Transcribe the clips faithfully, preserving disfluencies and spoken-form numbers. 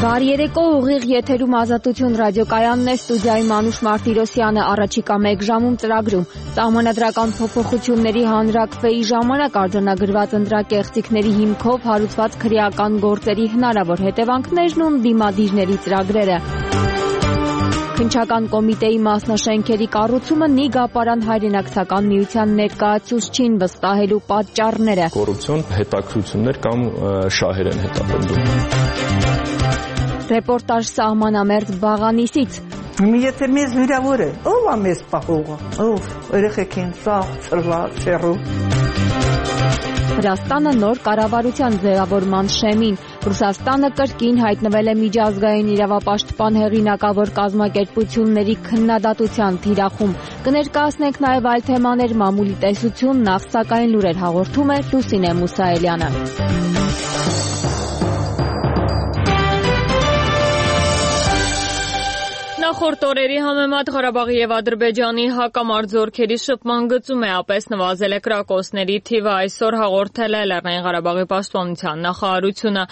Բարի երեկո, ուղիղ եթերում Ազատություն ռադիոկայանն է, ստուդիայի Մանուշ Մարտիրոսյանը, առաջիկա մեկ ժամում ծրագրում։ Սահմանադրական փոփոխությունների հանրաքվեի ժամանակ արձանագրված ընտրակեղծիքների հիմքով հարուցված քրեական գործերի հնարավոր հետևանքներն ու դիմադիրների ծրագրերը։ Քննչական կոմիտեի մասնաշենքերի կառուցումը Նիգապարան հայրենակցական միության ներկայացուցչին վստահելու պատճառները։ Կոռուպցիոն հետաքրքրություններ կամ շահեր են հետապնդում։ Ռեպորտաժ սահմանամերձ Բաղանիսից։ Եթե մեզ վիրավոր է, ով է մեզ պահողը, ով երեխեք են սաղ, ծրված, սեռու։ Վրաստանը նոր կառավարության ձևավորման շեմին։ Ռուսաստանը կրկին հայտնվել է միջազգային իրավապաշտպան հեղինակավոր կազմակերպությունների քննադատության թիրախում։ Կներկայացնենք նաև այլ թեմաներ, մամուլի տեսություն, նախ սակայն լուրեր հաղորդում է Լուսինե Մուսայելյանը։ Նախորդ օրերի համեմատ Ղարաբաղի եւ Ադրբեջանի հակամարտությունների շփման գծում է ապես նվազել է կրակոցների թիվը, այսօր հաղորդել է Լեռնային Ղարաբաղի պաշտպանության նախարարությունը։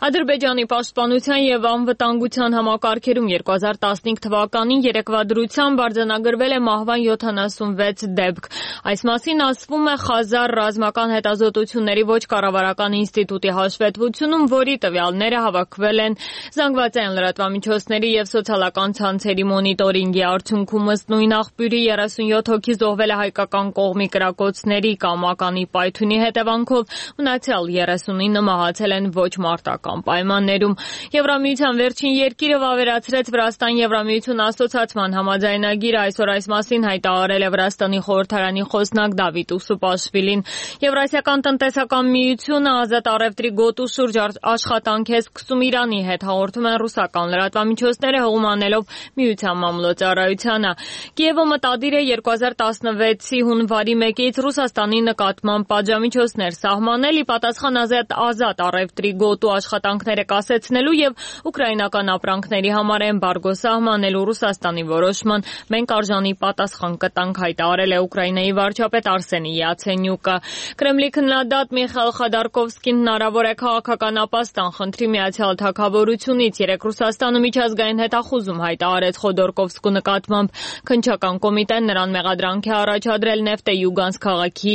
Ադրբեջանի պաշտպանության եւ անվտանգության համակարգերում երկու հազար տասնհինգ թվականին երեկվա դրությամբ արձանագրվել է մահվան յոթանասունվեց դեպք։ Այս մասին ասվում է Խազար ռազմական հետազոտությունների ոչ կառավարական ինստիտուտի հաշվետվությունում, որի տվյալները հավաքվել են զանգվածային լրատվամիջոցների եւ սոցիալական ցանցերի մոնիտորինգի արդյունքում ըստ նույն աղբյուրի երեսունյոթ հոգի զոհվել է հայկական կողմի կրակոցների կամ ականի պայթյունի հետևանքով, մնացյալ երեսունինը մահացել են ոչ մարտական պայմաններում։ Եվրամիության վերջին երկիրը վավերացրեց Վրաստան-Եվրամիություն ասոցիացման համաձայնագիրը, այսօր այս մասին հայտարարել է Վրաստանի խորհրդարանի խոսնակ Դավիթ Ուսուպաշվիլին։ Եվրասիական տնտեսական միությունը ազատ առևտրի գոտու շուրջ աշխատանք է սկսում Իրանի հետ, հաղորդում են ռուսական լրատվամիջոցները, հողում անելով միության մամլոյցարայությանը։ Կիևը մտադիր է երկու հազար տասնվեցի հունվարի մեկից Ռուսաստանի նկատմամբ պատժամիջոցներ սահմանել, ի պատասխան ազատ ազատ առևտրի գոտու աշխատանքները կասեցնելու եւ ուկրաինական ապրանքների համար էմբարգո սահմանելու Ռուսաստանի որոշման մենք արժանի պատասխան կտանք, հայտարարել է Ուկրաինայի վարչապետ Արսենի Յացենյուկը։ Կրեմլի քննադատ Միխայիլ Խոդորկովսկին հնարավոր է քաղաքական ապաստան խնդրի Միացյալ Թագավորությունից։ Երեք Ռուսաստանը միջազգային հետախուզում հայտարարեց Խոդորկովսկու նկատմամբ։ Քննչական կոմիտեն նրան մեղադրանք է առաջադրել Նեֆտե Յուգանսկ քաղաքի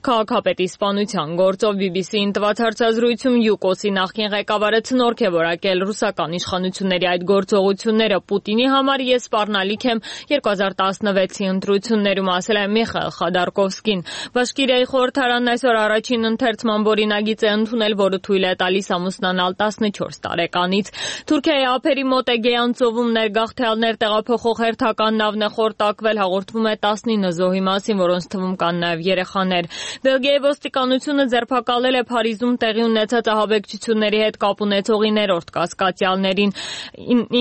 քաղաքապետի սպանության գործով։ բի բի սի-ին տված հարցազրույցում ՅՈՒԿՕՍ-ի նախկին ղեկավարը ցնորք է որակել ռուսական իշխանությունների այդ գործողությունները։ Պուտինի համար ես սպառնալիք եմ երկու հազար տասնվեցի ընտրություններում, ասել է Միխայիլ Խոդորկովսկին։ Բաշկիրիայի խորհրդարանն այսօր առաջին ընթերցման օրինագիծ է ընդունել, որը թույլ է տալիս ամուսնանալ տասնչորս տարեկանից։ Թուրքիայի ափերի մոտ Էգեյան ծովում ներգաղթյալներ տեղափոխող հերթական նավն է խորտակվել, հաղորդվում է տասնինը զոհի մասին, որոնց թվում կան նաև երեխաներ։ Բելգիայի ոստիկանությունը ձերբակալել է Փարիզում տեղի ունեցած ահաբեկչությունների հետ կապ ունեցողի ներորդ կասկածյալներին,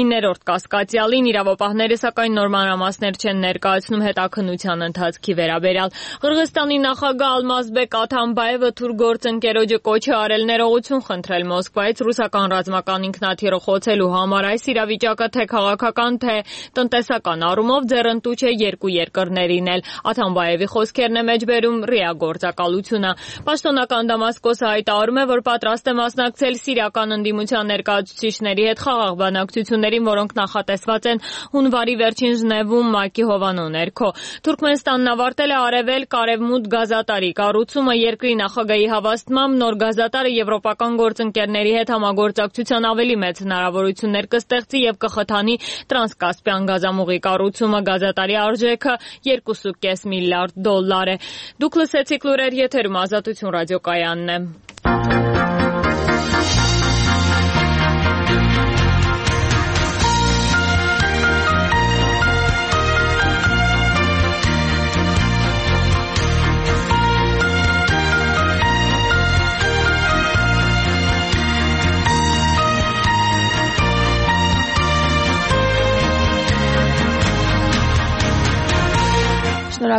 իններորդ կասկածյալին, իրավապահները սակայն նոր մանրամասներ չեն ներկայացնում հետաքննության ընթացքի վերաբերյալ։ Ղրղստանի նախագահ Ալմազբեկ Աթամբաևը թուրքգործընկերոջը կոչ է արել ներողություն խնդրել Մոսկվայից ռուսական ռազմական ինքնաթիռը խոցելու համար։ Այս իրավիճակը թե քաղաքական, թե տնտեսական առումով ձեռնտու չէ երկու երկրներին էլ։ Աթամբաևի խոսքերն է մեջբերում ՌԻԱ գործակալությունը։ Պաշտոնական Դամասկոսը հայտարարում է, որ պատրաստ է մասնակցել սիրիական ընդդիմության ներկայացուցիչների հետ խաղաղ բանակցություններին, որոնք նախատեսված են հունվարի վերջին Ժնևում ՄԱԿ-ի հովանու ներքո։ Թուրքմենստանն ավարտել է արևելք արևմուտք գազատարի կառուցումը։ Երկրի նախագահի հավաստմամբ նոր գազատարը եվրոպական գործընկերների հետ համագործակցության ավելի մեծ հնարավորություններ կստեղծի եւ կխթանի տրանսկասպյան գազամուղի կառուցումը։ Գազատարի արժեքը երկու կoma պենս միլիարդ դոլար է։ Դուք լսեցիք լուրեր, եթերում Ազատություն ռադիոկայանն է։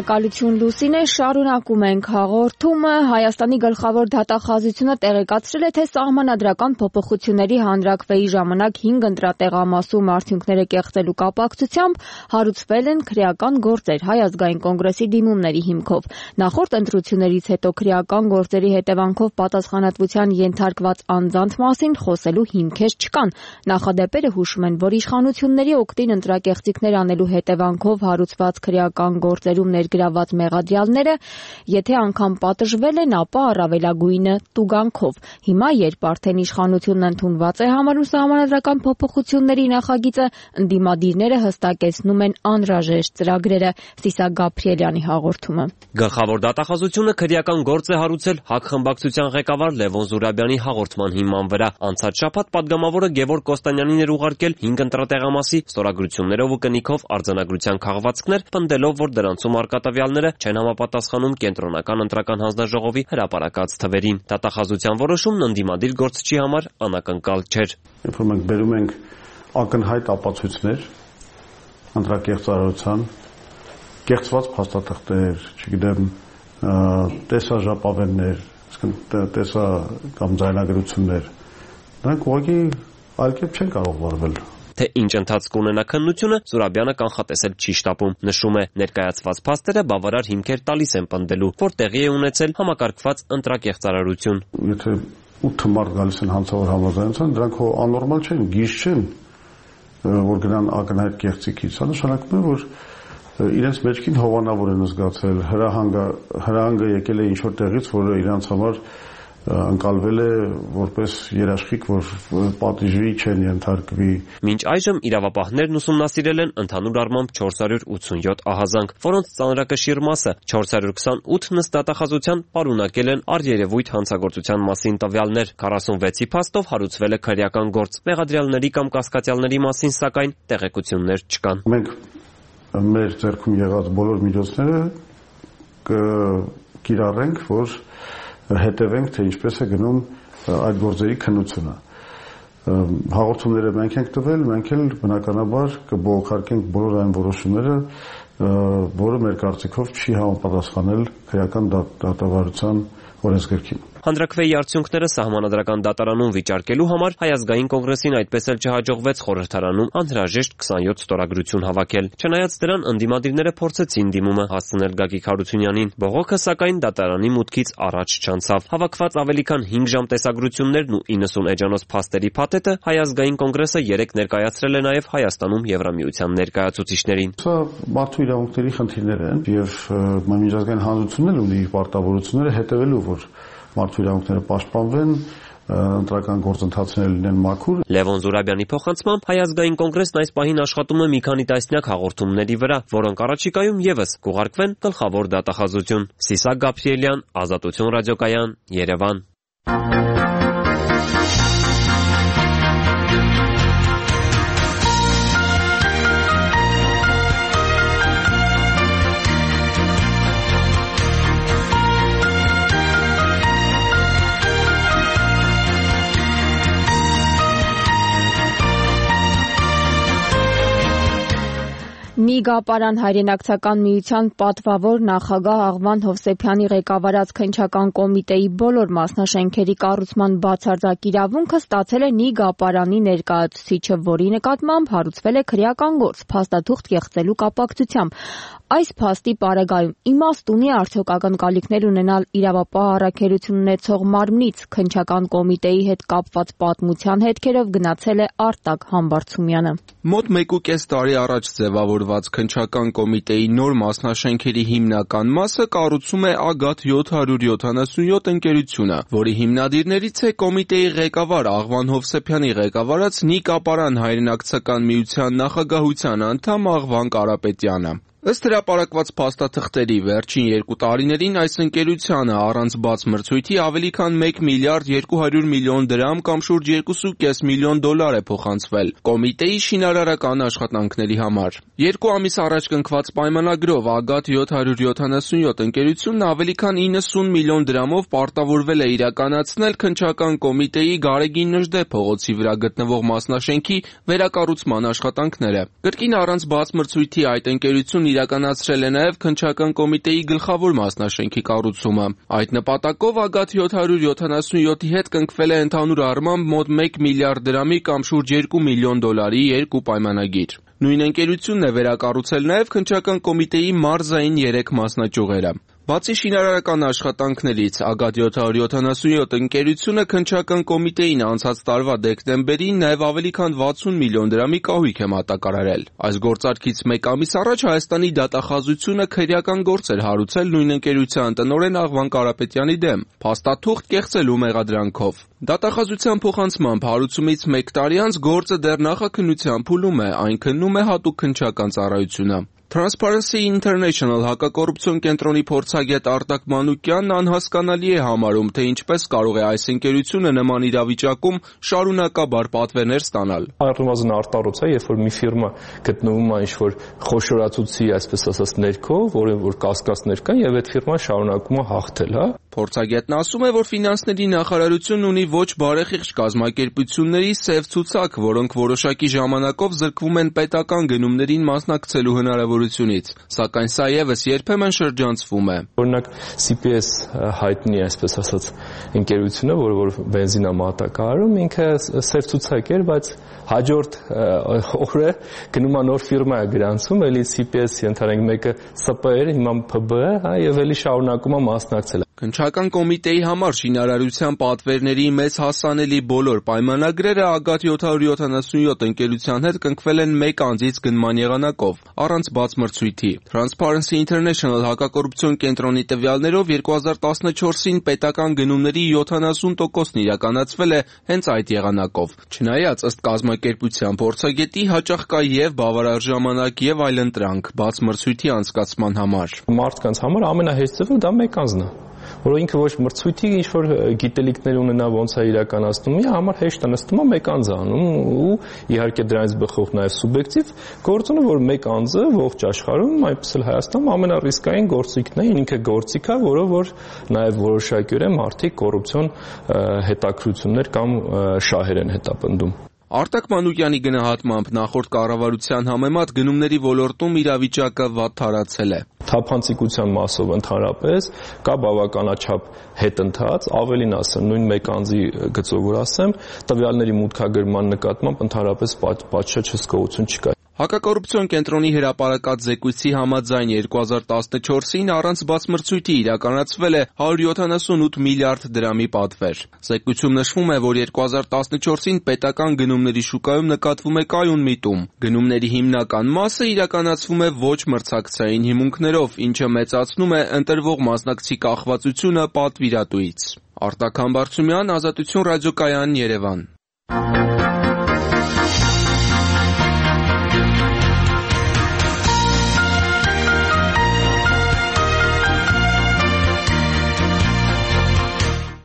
Շնորհակալություն Լուսինե, շարունակում ենք հաղորդումը։ Հայաստանի գլխավոր դատախազությունը տեղեկացրել է, թե սահմանադրական փոփոխությունների հանրաքվեի ժամանակ հինգ ընտրատեղամասում արդյունքները կեղծելու կապակցությամբ հարուցվել են քրեական գործեր Հայ ազգային կոնգրեսի դիմումների հիմքով։ Նախորդ ընտրություններից հետո քրեական գործերի հետևանքով պատասխանատվության ենթարկված անձանց մասին խոսելու հիմքեր չկան։ Նախադեպերը հուշում են, որ իշխանությունների օգտին ընտրակեղծիքներ անելու հետևանքով հարուցված քրեական գործերում ներգրաված մեղադրյալները, եթե անգամ պատժվել են, ապա առավելագույնը տուգանքով։ Հիմա, երբ արդեն իշխանությունն ընդունված է համարում սահմանադրական փոփոխությունների նախագիծը, ընդդիմադիրները հստակեցնում են անհրաժեշտ ծրագրերը։ Սիսակ Գաբրիելյանի հաղորդումը։ Գլխավոր դատախազությունը քրեական գործ է հարուցել ՀԱԿ խմբակցության ղեկավար Լևոն Զուրաբյանի հաղորդման հիման վրա։ Անցած շաբաթ պատգամավորը Գևորգ Կոստանյանին էր ուղարկել հինգ ընտրատեղամասի ստորագրություններով ու կնիքով արձանագրության քաղվածքներ, պնդելով, որ դրանցում արկա տվյալները չեն համապատասխանում կենտրոնական ընտրական հանձնաժողովի հրապարակած թվերին։ Դատախազության որոշումն ընդդիմադիր գործչի համար անակնկալ չէր։ Երբ որ մենք բերում ենք ակնհայտ ապացույցներ ընտրակեղծարարության, կեղծված փաստաթղթեր, չգիտեմ, տեսաժապավեններ, տեսա կամ ձայնագրություններ, դրանք ուղղակի այլ կերպ չեն կարող վարվել։ Թե ինչ ընթացք ունենա քննությունը, Զուրաբյանը կանխատեսել չի շտապում։ Նշում է, ներկայացված փաստերը բավարար հիմքեր տալիս են պնդելու, որ տեղի է ունեցել համակարգված ընտրակեղծարարություն։ Եթե ութ մարդ գալիս են հանցավոր համաձայնության, դրանք հո աննորմալ չեն, գիժ չեն, որ գնան ակնհայտ կեղծիքից։ Սա նշանակում է, որ իրենց մեջքին հովանավոր են զգացել, հրահանգը հրահանգը եկել է ինչ-որ տեղից, որը իրանց համար ընկալվել է որպես երաշխիք, որ պատիժի չեն ենթարկվի։ Մինչ այժմ իրավապահներն ուսումնասիրել են ընդհանուր առմամբ չորս հարյուր ութսունյոթ ահազանգ, որոնց ծանրակշիռ մասը չորս հարյուր քսանութ նստատախազության պարունակել են առերևույթ հանցագործության մասին տվյալներ։ քառասունվեցի փաստով հարուցվել է քրեական գործ։ Մեղադրյալների կամ կասկածյալների մասին սակայն տեղեկություններ չկան։ Մենք մեր ձեռքում եղած բոլոր միջոցները կկիրառենք, որ հետևենք, թե ինչպես է գնում այդ գործերի քննությունը։ Հաղորդումները մենք ենք տվել, մենք էլ բնականաբար կբողոքարկենք բոլոր այն որոշումները, որը մեր կարծիքով չի համապատասխանել քրեական դատավարության օրենսգրքին։ Հանրաքվեի արդյունքները սահմանադրական դատարանում վիճարկելու համար Հայ ազգային կոնգրեսին այդպես էլ չհաջողվեց խորհրդարանում անհրաժեշտ քսանյոթ ստորագրություն հավաքել։ Չնայած դրան, ընդդիմադիրները փորձեցին դիմումը հասցնել Գագիկ Հարությունյանին։ Բողոքը սակայն դատարանի մուտքից առաջ չանցավ։ Հավաքված ավելի քան հինգ ժամ տեսագրություններն ու իննսուն էջանոց փաստերի փաթեթը Հայ ազգային կոնգրեսը երեկ ներկայացրել է նաև Հայաստանում Եվրամիության ներկայացուցիչներին։ Սա մարդու իրավունքների խնդիրներ են եւ միջազգային հանրությունն էլ ունի իր պարտավորությունները հետևելու, որ մարդու իրավունքները պաշտպանվեն, ընտրական գործընթացները լինեն մաքուր։ Լևոն Զուրաբյանի փոխանցմամբ Հայ ազգային կոնգրեսն այս պահին աշխատում է մի քանի տասնյակ հաղորդումների վրա, որոնք առաջիկայում եւս կուղարկվեն գլխավոր դատախազություն։ Սիսակ Գաբրիելյան, Ազատություն ռադիոկայան, Երևան։ Նիգապարան հայրենակցական միության պատվավոր նախագահ Աղվան Հովսեփյանի ղեկավարած քննչական կոմիտեի բոլոր մասնաշենքերի կառուցման բացարձակ իրավունքը ստացել է Նիգապարանի ներկայացուցիչը, որի նկատմամբ հարուցվել է քրեական գործ փաստաթուղթ կեղծելու կապակցությամբ։ Այս փաստի պարագայում իմաստ ունի արդյոք ակնկալիքներ ունենալ իրավապահ առաքելություն ունեցող մարմնից քննչական կոմիտեի հետ կապված պատմության հետքերով գնացել է Արտակ Համբարձումյանը։ Մոտ մեկ ու կես տարի առաջ ձևավորված քննչական կոմիտեի նոր մասնաշենքերի հիմնական մասը կառուցում է Ագաթ յոթ հարյուր յոթանասունյոթ ընկերությունը, որի հիմնադիրներից է կոմիտեի ղեկավար Աղվան Հովսեփյանի ղեկավարած Նիգապարան հայրենակցական միության նախագահության անդամ Աղվան Կարապետյանը։ Ըստ հրապարակված փաստաթղթերի վերջին երկու տարիներին այս ընկերությանը առանց բաց մրցույթի ավելի քան մեկ միլիարդ երկու հարյուր միլիոն դրամ կամ շուրջ երկու ու կես միլիոն դոլար է փոխանցվել կոմիտեի շինարարական աշխատանքների համար։ Երկու ամիս առաջ կնքված պայմանագրով Ագաթ յոթ հարյուր յոթանասունյոթ ընկերությունն ավելի քան իննսուն միլիոն դրամով պարտավորվել է իրականացնել քննչական կոմիտեի Գարեգին Նժդե փողոցի վրա գտնվող մասնաշենքի վերակառուցման աշխատանքները։ Կրկին առանց բաց մրցույթի այդ ընկերությունն իրականացրել է նաև քննչական կոմիտեի գլխավոր մասնաշենքի կառուցումը։ Այդ նպատակով ագաթ յոթ հարյուր յոթանասունյոթի հետ կնքվել է ընդհանուր առմամբ մոտ մեկ միլիարդ դրամի կամ շուրջ երկու միլիոն դոլարի երկու պայմանագիր։ Նույն ընկերությունն է վերակառուցել նաև քննչական կոմիտեի մարզային երեք մասնաճյուղերը։ Բացի շինարարական աշխատանքներից, ագաթ յոթ հարյուր յոթանասունյոթ ընկերությունը քննչական կոմիտեին անցած տարվա դեկտեմբերին նաև ավելի քան վաթսուն միլիոն դրամի կահույք է մատակարարել։ Այս գործարքից մեկ ամիս առաջ Հայաստանի դատախազությունը քրեական գործ էր հարուցել նույն ընկերության տնօրեն Աղվան Կարապետյանի դեմ, փաստաթուղթ կեղծելու մեղադրանքով։ Դատախազության փոխանցմամբ հարուցումից մեկ տարի անց գործը դեռ նախաքննության փուլում է, այն քննում է հատուկ քննչական ծառայությունը։ Transparency International հակակոռուպցիոն կենտրոնի փորձագետ Արտակ Մանուկյանն անհասկանալի է համարում, թե ինչպես կարող է այս ընկերությունը նման իրավիճակում շարունակաբար պատվերներ ստանալ։ Առնվազն արտառոց է, երբ որ մի ֆիրմա գտնվում է ինչ-որ խոշորացուցի, այսպես ասած, ներքո, որը որ կասկածներ կան, եւ այդ ֆիրման շարունակում է հաղթել, հա։ Փորձագետն ասում է, որ ֆինանսների նախարարությունն ունի ոչ բարեխիղճ կազմակերպությունների սև ցուցակ, որոնք որոշակի ժամանակով զրկվում են պետական գնումներին մասնակցելու հնարավորությունից, սակայն սա ևս երբեմն շրջանցվում է։ Օրինակ սի պի էս հայտնի, այսպես ասած, ընկերությունը, որը որ բենզին է մատակարարում, ինքը սև ցուցակ էր, բայց հաջորդ օրը գնում է նոր ֆիրմա է գրանցում, էլի սի պի էս-ի ընդհանրենք մեկը սը պը էր, հիմա փը բը է, հա, եւ էլի շարունակում է մասնակցել։ Քննչական կոմիտեի համար շինարարության պատվերների մեծ հասանելի բոլոր պայմանագրերը ագաթ յոթ հարյուր յոթանասունյոթ ընկերության հետ կնքվել են մեկ անձից գնման եղանակով, առանց բաց մրցույթի։ Transparency International հակակոռուպցիոն կենտրոնի տվյալներով երկու հազար տասնչորսին պետական գնումների յոթանասուն տոկոսն իրականացվել է հենց այդ եղանակով։ Չնայած ըստ կազմակերպության փորձագետի հաճախ կա եւ բավարար ժամանակ եւ այլընտրանք բաց մրցույթի անցկացման համար։ Մարդկանց համար ամենահեշտ ձևը դա մեկ անձն է, որ ինքը ոչ մրցույթի ինչ-որ գիտելիքներ ունենա ոնց է իրականացնում, իր համար հեշտ է նստում է մեկ անձ անում ու իհարկե դրանից բխող նաև սուբյեկտիվ գործոնը, որ մեկ անձը ողջ աշխարհում, այնպես էլ Հայաստանում ամենառիսկային գործիքն է, ինքը գործիք է, որով որ նաև որոշակիորեն մարդիկ կոռուպցիոն հետաքրություններ կամ շահեր են հետապնդում։ Արտակ Մանուկյանի գնահատմամբ նախորդ կառավարության համեմատ գնումների ոլորտում իրավիճակը վատ թարացել է։ Թափանցիկության մասով ընդհանրապես կա բավականաչափ հետընթաց, ավելին ասեմ, նույն մեկ անձի գծով որ ասեմ, տվյալների մուտքագրման նկատմամբ ընդհանրապես պատշաճ հսկողություն չկա։ Հակակոռուպցիոն կենտրոնի հրապարակած զեկույցի համաձայն երկու հազար տասնչորսին առանց բաց մրցույթի իրականացվել է հարյուր յոթանասունութ միլիարդ դրամի պատվեր։ Զեկույցում նշվում է, որ երկու հազար տասնչորսին պետական գնումների շուկայում նկատվում է կայուն միտում։ Գնումների հիմնական մասը իրականացվում է ոչ մրցակցային հիմունքներով, ինչը մեծացնում է ընտրվող մասնակցի կախվածությունը պատվիրատուից։ Արտակ Համբարձումյան, Ազատություն ռադիոկայան, Երևան։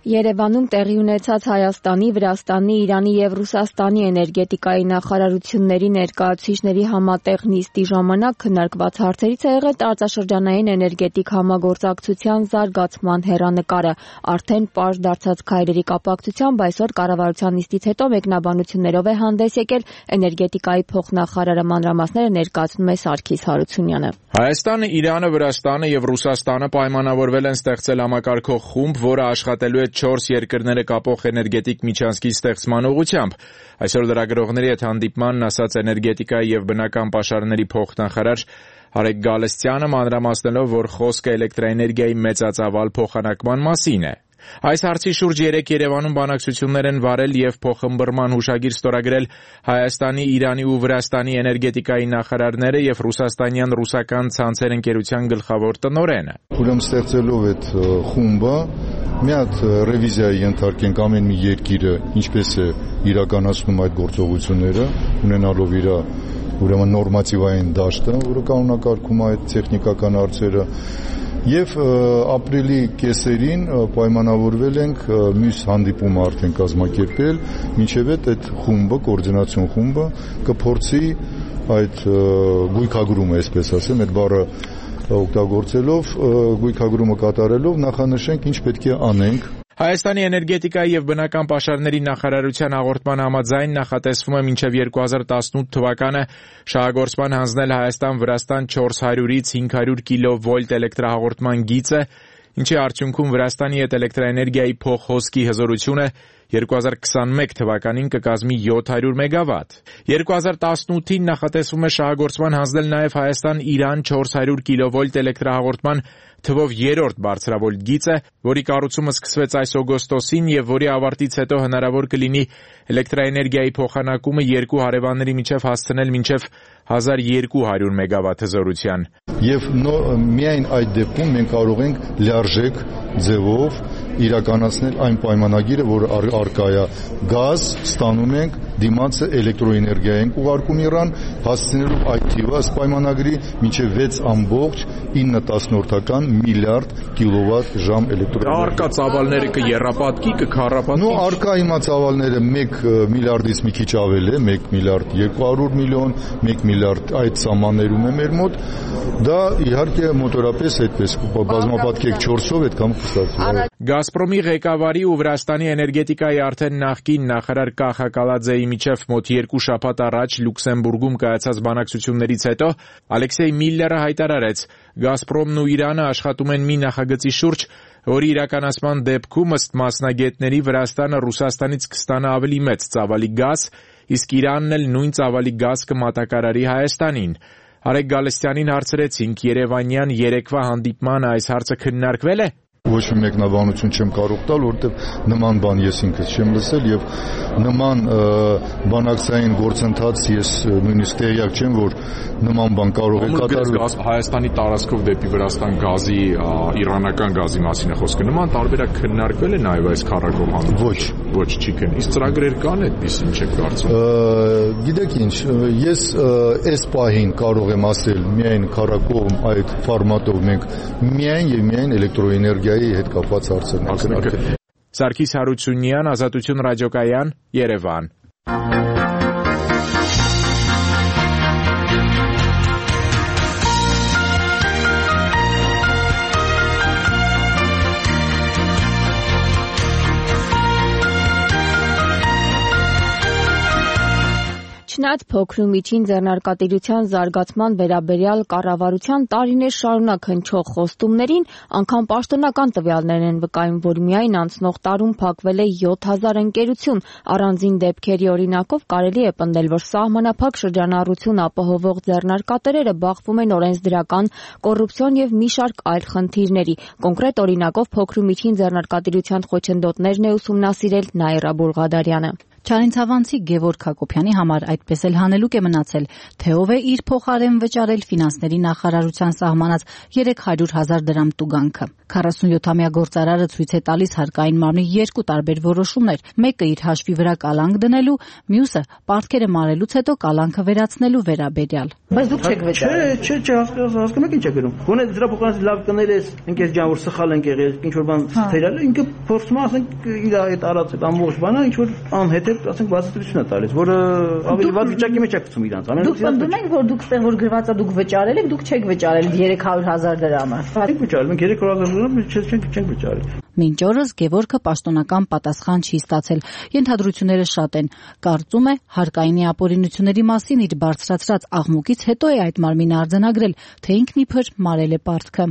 Երևանում տեղի ունեցած Հայաստանի, Վրաստանի, Իրանի եւ Ռուսաստանի էներգետիկայի նախարարությունների ներկայացուցիչների համատեղ նիստի ժամանակ քննարկված հարցերից է եղել տարածաշրջանային էներգետիկ համագործակցության զարգացման հեռանկարը։ Արդեն պարզ դարձած քայլերի կապակցությամբ այսօր կառավարության նիստից հետո մեկնաբանություններով է հանդես եկել էներգետիկայի փոխնախարարը, մանրամասները ներկայացնում է Սարգիս Հարությունյանը։ Հայաստանը, Իրանը, Վրաստանը եւ Ռուսաստանը պայմանավորվել են ստեղծել համակարգող խումբ, որը աշխատելու է չորս երկրները կապող էներգետիկ միջանցքի ստեղծման ուղղությամբ։ Այսօր լրագրողների հետ հանդիպմանն ասաց էներգետիկայի եւ բնական պաշարների փոխնախարար Արեգ Գալստյանը, մանրամասնելով, որ խոսքը էլեկտրաէներգիայի մեծածավալ փոխանակման մասին է։ Այս հարցի շուրջ երեկ Երևանում բանակցություններ են վարել եւ փոխըմբռնման հուշագիր ստորագրել Հայաստանի, Իրանի ու Վրաստանի էներգետիկայի նախարարները եւ ռուսաստանյան ռուսական ցանցեր ընկերության գլխավոր տնօրենը։ Ուրեմն ստեղծելով այդ խումբը մի հատ ռևիզիայի ենթարկենք ամեն մի երկիրը ինչպես է իրականացնում այդ գործողությունները, ունենալով իր ուրեմն նորմատիվային դաշտը, որը կանոնակարգում է այդ տեխնիկական հարցերը։ Եվ ապրիլի կեսերին պայմանավորվել ենք մյուս հանդիպումը արդեն կազմակերպել, մինչև այդ խումբը, կոորդինացիոն խումբը կփորձի այդ գույքագրումը, այսպես ասեմ, այդ բառը օգտագործելով, գույքագրումը կատարելով նախանշենք ինչ պետք է անենք։ Հայաստանի էներգետիկայի եւ բնական պաշարների նախարարության հաղորդման համաձայն նախատեսվում է մինչեւ երկու հազար տասնութ թվականը շահագործման հանձնել Հայաստան-Վրաստան չորս հարյուրից հինգ հարյուր կիլովոլտ էլեկտրահաղորդման գիծը, ինչի արդյունքում Վրաստանի հետ էլեկտրաէներգիայի փոխհոսքի հզորությունը երկու հազար քսանմեկ թվականին կկազմի յոթ հարյուր մեգավատ։ երկու հազար տասնութին նախատեսվում է շահագործման հանձնել նաև Հայաստան-Իրան չորս հարյուր կիլովոլտ էլեկտրահաղորդման թվով երրորդ բարձրավոլտ գիծը, որի կառուցումը սկսվեց այս օգոստոսին եւ որի ավարտից հետո հնարավոր կլինի էլեկտրաէներգիայի փոխանակումը երկու հարևանների միջև հասցնել մինչև հազար երկու հարյուր մեգավատ հզորության։ Եվ միայն այդ դեպքում մենք կարող ենք լիարժեք ձևով իրականացնել այն պայմանագիրը, որը արկա է գազ ստանում ենք, դիմացը էլեկտրոէներգիա ենք ուղարկում Իրան, հասցնելով այդ թիվը ըստ պայմանագրի մինչև վեց ամբողջ ինը տասնորդական միլիարդ կիլովատ ժամ էլեկտրոէներգիա։ Արկա ծավալները կեռապատկի, կքառապատկի։ Նո, արկա հիմա ծավալները մեկ միլիարդից մի քիչ ավել է, մեկ միլիարդ երկու հարյուր միլիոն, մեկ միլիարդ այդ սահմաններում է մեր մոտ։ Դա իհարկե մոտորապես այդպես բազմապատկեք չորսով այդքան կստացվի։ Գազպրոմի ղեկավարի ու Վրաստանի էներգետիկայի արդեն նախկին նախարար Կախա Կալաձեի միջև մոտ երկու շաբաթ առաջ Լյուքսեմբուրգում կայացած բանակցություններից հետո Ալեքսեյ Միլլերը հայտարարեց. Գազպրոմն ու Իրանը աշխատում են մի նախագծի շուրջ, որի իրականացման դեպքում ըստ մասնագետների Վրաստանը Ռուսաստանից կստանա ավելի մեծ ծավալի գազ, իսկ Իրանն էլ նույն ծավալի գազ կմատակարարի Հայաստանին։ Արեգ Գալստյանին հարցրեցինք երևանյան երեկվա հանդիպման այս հարցը քննարկվել է։ Ոչ մի մեկնաբանություն չեմ կարող տալ, որովհետև նման բան ես ինքս չեմ լսել եւ նման բանակցային գործընթաց ես նույնիսկ տեղյակ չեմ, որ նման բան կարող է կատարվել։ Հայաստանի տարածքով դեպի Վրաստան գազի, իրանական գազի մասին է խոսքը։ Նման տարբերակ քննարկվել է նաեւ այս քառակողմ հանդիպում։ Ոչ, ոչ չի քննի։ Իսկ ծրագրեր կան այդպես ինչ եք կարծում։ Գիտեք ինչ, ես այս պահին կարող եմ ասել միայն քառակողմ այդ ֆորմատով մենք միայն եւ միայն էլեկտրոէներգիա հետ կապված հարցերն են քննարկել։ Սարգիս Հարությունյան, Ազատություն ռադիոկայան, Երևան։ Չնայած փոքր ու միջին ձեռնարկատիրության զարգացման վերաբերյալ կառավարության տարիներ շարունակ հնչող խոստումներին, անգամ պաշտոնական տվյալներն են վկայում, որ միայն անցնող տարում փակվել է յոթ հազար ընկերություն։ Առանձին դեպքերի օրինակով կարելի է պնդել, որ սահմանափակ շրջանառություն ապահովող ձեռնարկատերերը բախվում են օրենսդրական, կոռուպցիոն եւ մի շարք այլ խնդիրների։ Կոնկրետ օրինակով փոքր ու միջին ձեռնարկատիրության խոչընդոտներն է ուսումնասիրել Նաիրա Բուրղադարյանը։ Չարենցավանցի Գևորգ Հակոբյանի համար այդպես էլ հանելուկ է մնացել, թե ով է իր փոխարեն վճարել ֆինանսների նախարարության սահմանած երեք հարյուր հազար դրամ տուգանքը։ քառասունյոթամյա գործարարը ցույց է տալիս հարկային մարմնի երկու տարբեր որոշումներ, մեկը իր հաշվի վրա կալանք դնելու, մյուսը պարտքերը մարելուց հետո կալանքը վերացնելու վերաբերյալ։ Բայց դուք չեք վճարել։ Չէ, չէ, հասկանում եք ինչ է գրում։ Գոնե դրա փոխանցի լավ կներես, ինքես ջան որ սխալ ենք եղել, ինչ որ բան թերալ, ինքը փորձում ասենք իր այդ արած այդ ամբողջ բանը ինչ որ անհետ ասենք բացատրություն է տալիս, որը ավելի վատ վիճակի մեջ է գցում իրանց։ Դուք պնդում եք, որ դուք ստեղ որ գրված է դուք վճարել եք, դուք չեք վճարել երեք հարյուր հազար դրամը։ Մենք վճարել ենք երեք հարյուր հազար դրամ, չենք չենք վճարել։ Մինչ օրս Գևորգը պաշտոնական պատասխան չի ստացել։ Ենթադրությունները շատ են։ Կարծում է հարկայինի ապօրինությունների մասին իր բարձրացրած աղմուկից հետո է այդ մարմինը արձանագրել, թե ինքն իբր մարել է պարտքը։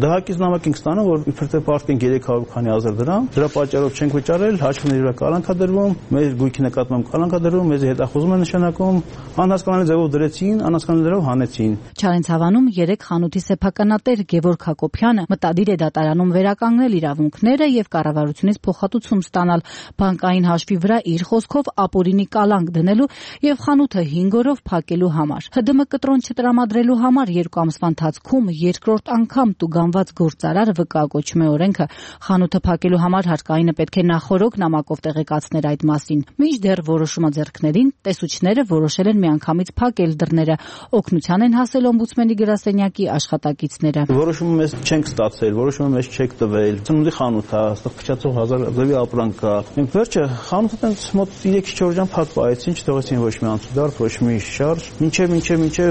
Դահակից նամակ ենք ստանում, որ իբր թե պարտք են երեք հարյուր քանի հազար դրամ, դրա պատճառով չենք վճարել, հաշվների վրա կալանք է դրվում, մեր գույքի նկատմամբ կալանք է դրվում, մեզ հետախուզում է նշանակում, անհասկանալի ձևով դրեցին, անհասկանալի ձևով հանեցին։ Չարենցավանում երեք խանութի սեփականատեր Գևորգ Հակոբյանը մտադիր է դատարանում վերականգնել իրավունքները եւ կառավարությունից փոխհատուցում ստանալ, բանկային հաշվի վրա իր խոսքով ապօրինի կալանք դնելու եւ խանութը հինգ օրով փակելու համար։ ՀԴՄ կտրոն չտրամադրելու համար երկու ամսվա ընթացքում երկրորդ անգամ տուգանված գործարարը վկայակոչում է օրենքը։ Խանութը փակելու համար հարկայինը պետք է նախորոք նամակով տեղեկացներ այդ մասին։ Մինչդեռ որոշումը ձեռքներին տեսուչները որոշել են միանգամից փակել դռները։ Օգնության են հասել օմբուդսմենի գրասենյակի աշխատակիցները։ Որոշումը մեզ չենք ստացել, որոշումը մեզ չեք տվել։ Ծնունդի խանութ է, այստեղ փչացող հազար դեպի ապրանք կա։ Մենք վերջը խանութը տենց մոտ երեք-չորս ժամ փակվեցին, չթողեցին ոչ մի անցուդարձ, ոչ մի շարժ։ Մինչև մինչև մինչև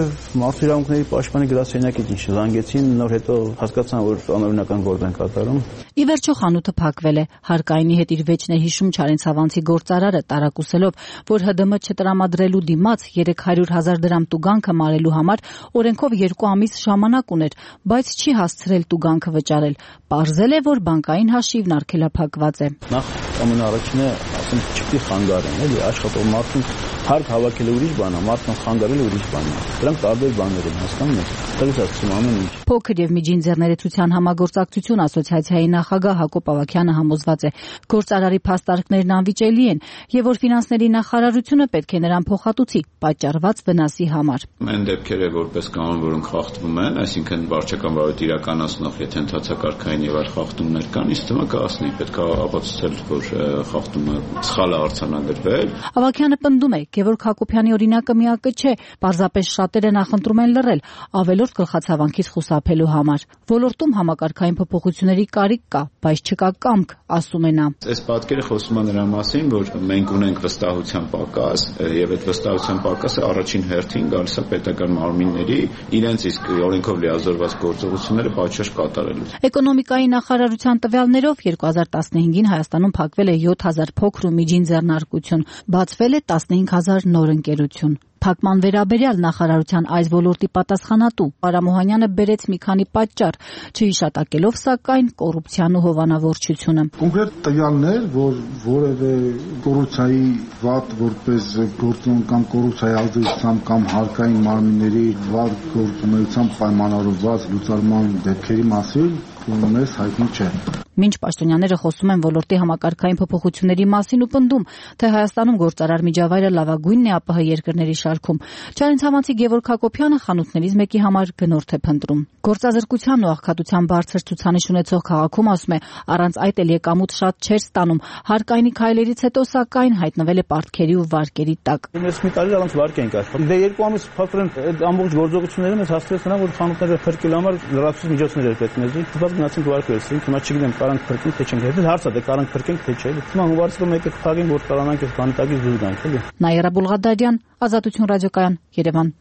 մարդու իրավունքների պաշտպանի գրասենյակից ինչ զանգեցին, նոր հետո հասկացան, որ անօրինական գործ են կատարում։ Ի վերջո խանութը փակվել է։ Հարկայինի հետ իր վեճն է հիշում Չարենցավանցի գործարարը, տարակուսելով, որ Հ Դ Մ չտրամադրելու դիմաց երեք հարյուր հազար դրամ տուգանքը մարելու համար օրենքով երկու ամիս ժամանակ ուներ, բայց չի հասցրել տուգանքը վճարել։ Պարզել է, որ բանկային հաշիվն արգելափակված է։ Նախ ամենաառաջինը, ասենք, չպետք է խանգարեն, էլի, աշխատող մարդուն հարկ հավաքելը ուրիշ բան է, մարդուն խանգարելը ուրիշ բան է։ Դրանք տարբեր բաներ են, հասկանում եք։ Դրանից ասում ամեն ինչ։ Փոքր եւ միջին ձեռներեցության համագործակցություն ասոցիացիայի նախագահ Հակոբ Ավագյանը համոզված է, գործարարի փաստարկներն անվիճելի են եւ որ ֆինանսների նախարարությունը պետք է նրան փոխհատուցի պատճառված վնասի համար։ Այն դեպքերը, որպես կանոն, որոնք խախտվում են, այսինքն վարչական վարույթ իրականացնող, եթե ընդհանցակարգային եւ այլ խախտումներ կան, իսկ թվում է կասնի, պետք է ապացուցել, որ խախտումը սխալ է արձանագրվել։ Ավագյանը պնդում է, Գևորգ Հակոբյանի օրինակը միակը չէ, պարզապես շատերը նախընտրում են լռել, ավելորդ գլխացավանքից խուսափելու համար։ Ոլորտում համակարգային փոփոխությունների կարիք կա, բայց չկա կամք, ասում է նա։ Այս պատկերը խոսում է նրա մասին, որ մենք ունենք վստահության պակաս, եւ այդ վստահության պակասը առաջին հերթին գալիս է պետական մարմինների իրենց իսկ օրենքով լիազորված գործողությունները պատշաճ կատարելու։ Էկոնոմիկայի նախարարության տվյալներով երկու հազար տասնհինգին Հայաստանում փակվել է յոթ հազար փոքր ու միջին ձեռնարկություն, բացվել է տասնհինգ հազար նոր ընկերություն։ Փակման վերաբերյալ նախարարության այս ոլորտի պատասխանատու Արա Մոհանյանը բերեց մի քանի պատճառ, չհիշատակելով սակայն կոռուպցիան ու հովանավորչությունը։ Կոնկրետ տվյալներ, որ որևէ կոռուպցիայի վատ որպես գործոն կամ կոռուպցիայի ազդեցությամբ կամ հարկային մարմինների վատ գործունեությամբ պայմանավորված լուծարման դեպքերի մասին մեզ հայտնի չէ։ Մինչ պաշտոնյաները խոսում են ոլորտի համակարգային փոփոխությունների մասին ու պնդում, թե Հայաստանում գործարար միջավայրը լավագույնն է ԱՊՀ երկրների շարքում, Չարենցավանցի Գևորգ Հակոբյանը խանութներից մեկի համար գնորդ է փնտրում։ Գործազրկության ու աղքատության բարձր ցուցանիշ ունեցող քաղաքում, ասում է, առանց այդ էլ եկամուտ շատ չէր ստանում։ Հարկայինի քայլերից հետո սակայն հայտնվել է պարտքերի ու վարկերի տակ։ Ես մի տարի առանց վարկ ենք աշխատում։ Դե երկու ամիս փակվել են այդ ամբողջ գործողությունները, մեզ հասցրեց նրան, որ խանութները փրկելու համար լրացուցիչ միջոցներ էր պետք մեզ։ Դուք գնացինք վարկ վերցրինք, հիմա չգիտեմ կարանք փրկենք թե չենք։ Հետո հարցը դե կարանք փրկենք թե չէ։ Հիմա հուվարցրու մեկը փակենք, որ կարանանք այս բանտակից դուրս գանք, էլի։ Նաիրա Բուլղադարյան, Ազատություն ռադիոկայան, Երևան։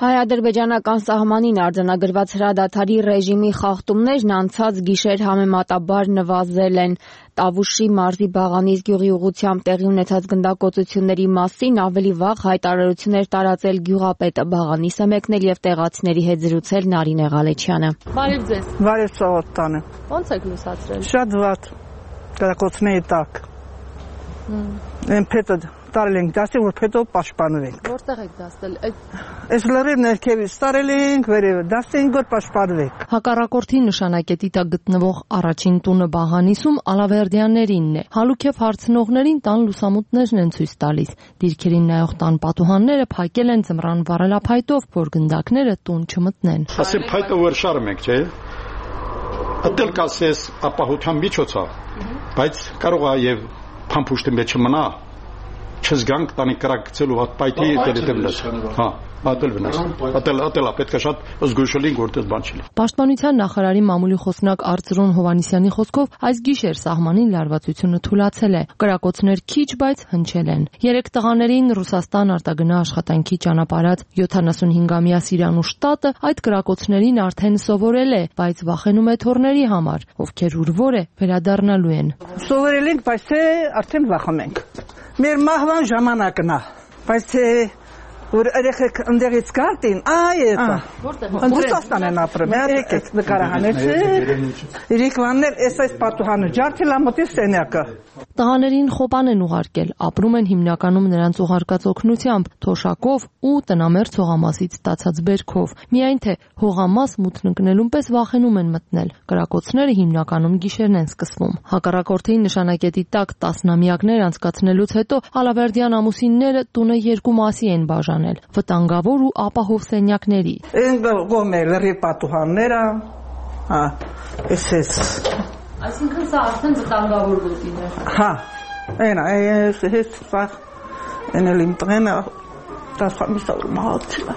Հայ-ադրբեջանական սահմանին արձանագրված հրադադարի ռեժիմի խախտումներն անցած գիշեր համեմատաբար նվազել են։ Տավուշի մարզի Բաղանիս գյուղի ուղղությամբ տեղի ունեցած գնդակոծությունների մասին ավելի վաղ հայտարարություններ տարածել գյուղապետը Բաղանիս է մեկնել եւ տեղացիների հետ զրուցել Նարինե Ղալեչյանը։ Բարև ձեզ։ Բարև ծավալ տանը։ Ո՞նց եք լուսացրել։ Շատ վատ։ Գնդակոծների տակ։ Են փետը տարել ենք դասի, որ փետով պաշտպանվենք։ Որտեղ եք դասել։ Այս լրիվ ներքևից տարել ենք, վերևը դասենք, որ պաշտպանվենք։ Հակառակորդի նշանակետի տակ գտնվող առաջին տունը Բաղանիսում Ալավերդյաններինն է։ Հալուքև հարցնողներին տան լուսամուտներն են ցույց տալիս։ Դիրքերին նայող տան պատուհանները փակել են ձմռան վառելափայտով, որ գնդակները տուն չմտնեն։ Ասեմ փայտը որ շարում ենք, չէ՞։ Ատել կասես ապահովության միջոցով, բայց կարող է եւ փամփուշտի մեջ մնա չզգանք տանի կրակցելու հատ պայթի դերետելս։ Հա, ատել վնաս։ Ատել ատելա պետք է շատ զգուշալին գործել բան չի։ Պաշտպանության նախարարի մամուլի խոսնակ Արծրուն Հովանիսյանի խոսքով այս գիշեր սահմանին լարվածությունը թուլացել է։ Կրակոցներ քիչ, բայց հնչել են։ Երեք տղաներին Ռուսաստան արտագնա աշխատանքի ճանապարհած յոթանասունհինգամյա Սիրանուշ տատը այդ կրակոցներին արդեն սովորել է, բայց վախենում է թորների համար, ովքեր ուրվոր է վերադառնալու են։ Սովորել ենք, բայց թե արդեն վախում ենք։ Մեր մահվան ժամանակն է, բայց թե որ երեխեք ընդեղից գարտին, այ էտա։ Որտեղ։ Ռուսաստան են ապրում, եկեք նկարահանեցեք։ Իրիկվաններ էս այս պատուհանը ջարդել ամոթի սենյակը։ Տղաներին խոպան են ուղարկել, ապրում են հիմնականում նրանց ուղարկած օգնությամբ, թոշակով ու տնամերձ հողամասից ստացած բերքով։ Միայն թե հողամաս մութն ընկնելուն պես վախենում են մտնել։ Կրակոցները հիմնականում գիշերն են սկսվում։ Հակառակորդի նշանակետի տակ տասնամյակներ անցկացնելուց հետո Ալավերդյան ամուսինները տունը երկու մասի են բաժանել՝ վտանգավոր ու ապահով սենյակների։ Այն գոմե լրի պատուհանները, հա, էսես։ Այսինքն սա արդեն վտանգավոր գոտին է։ Հա, այնա, այս հետ սա էնել իմ տղենը տասխամիսավոր մահացել է։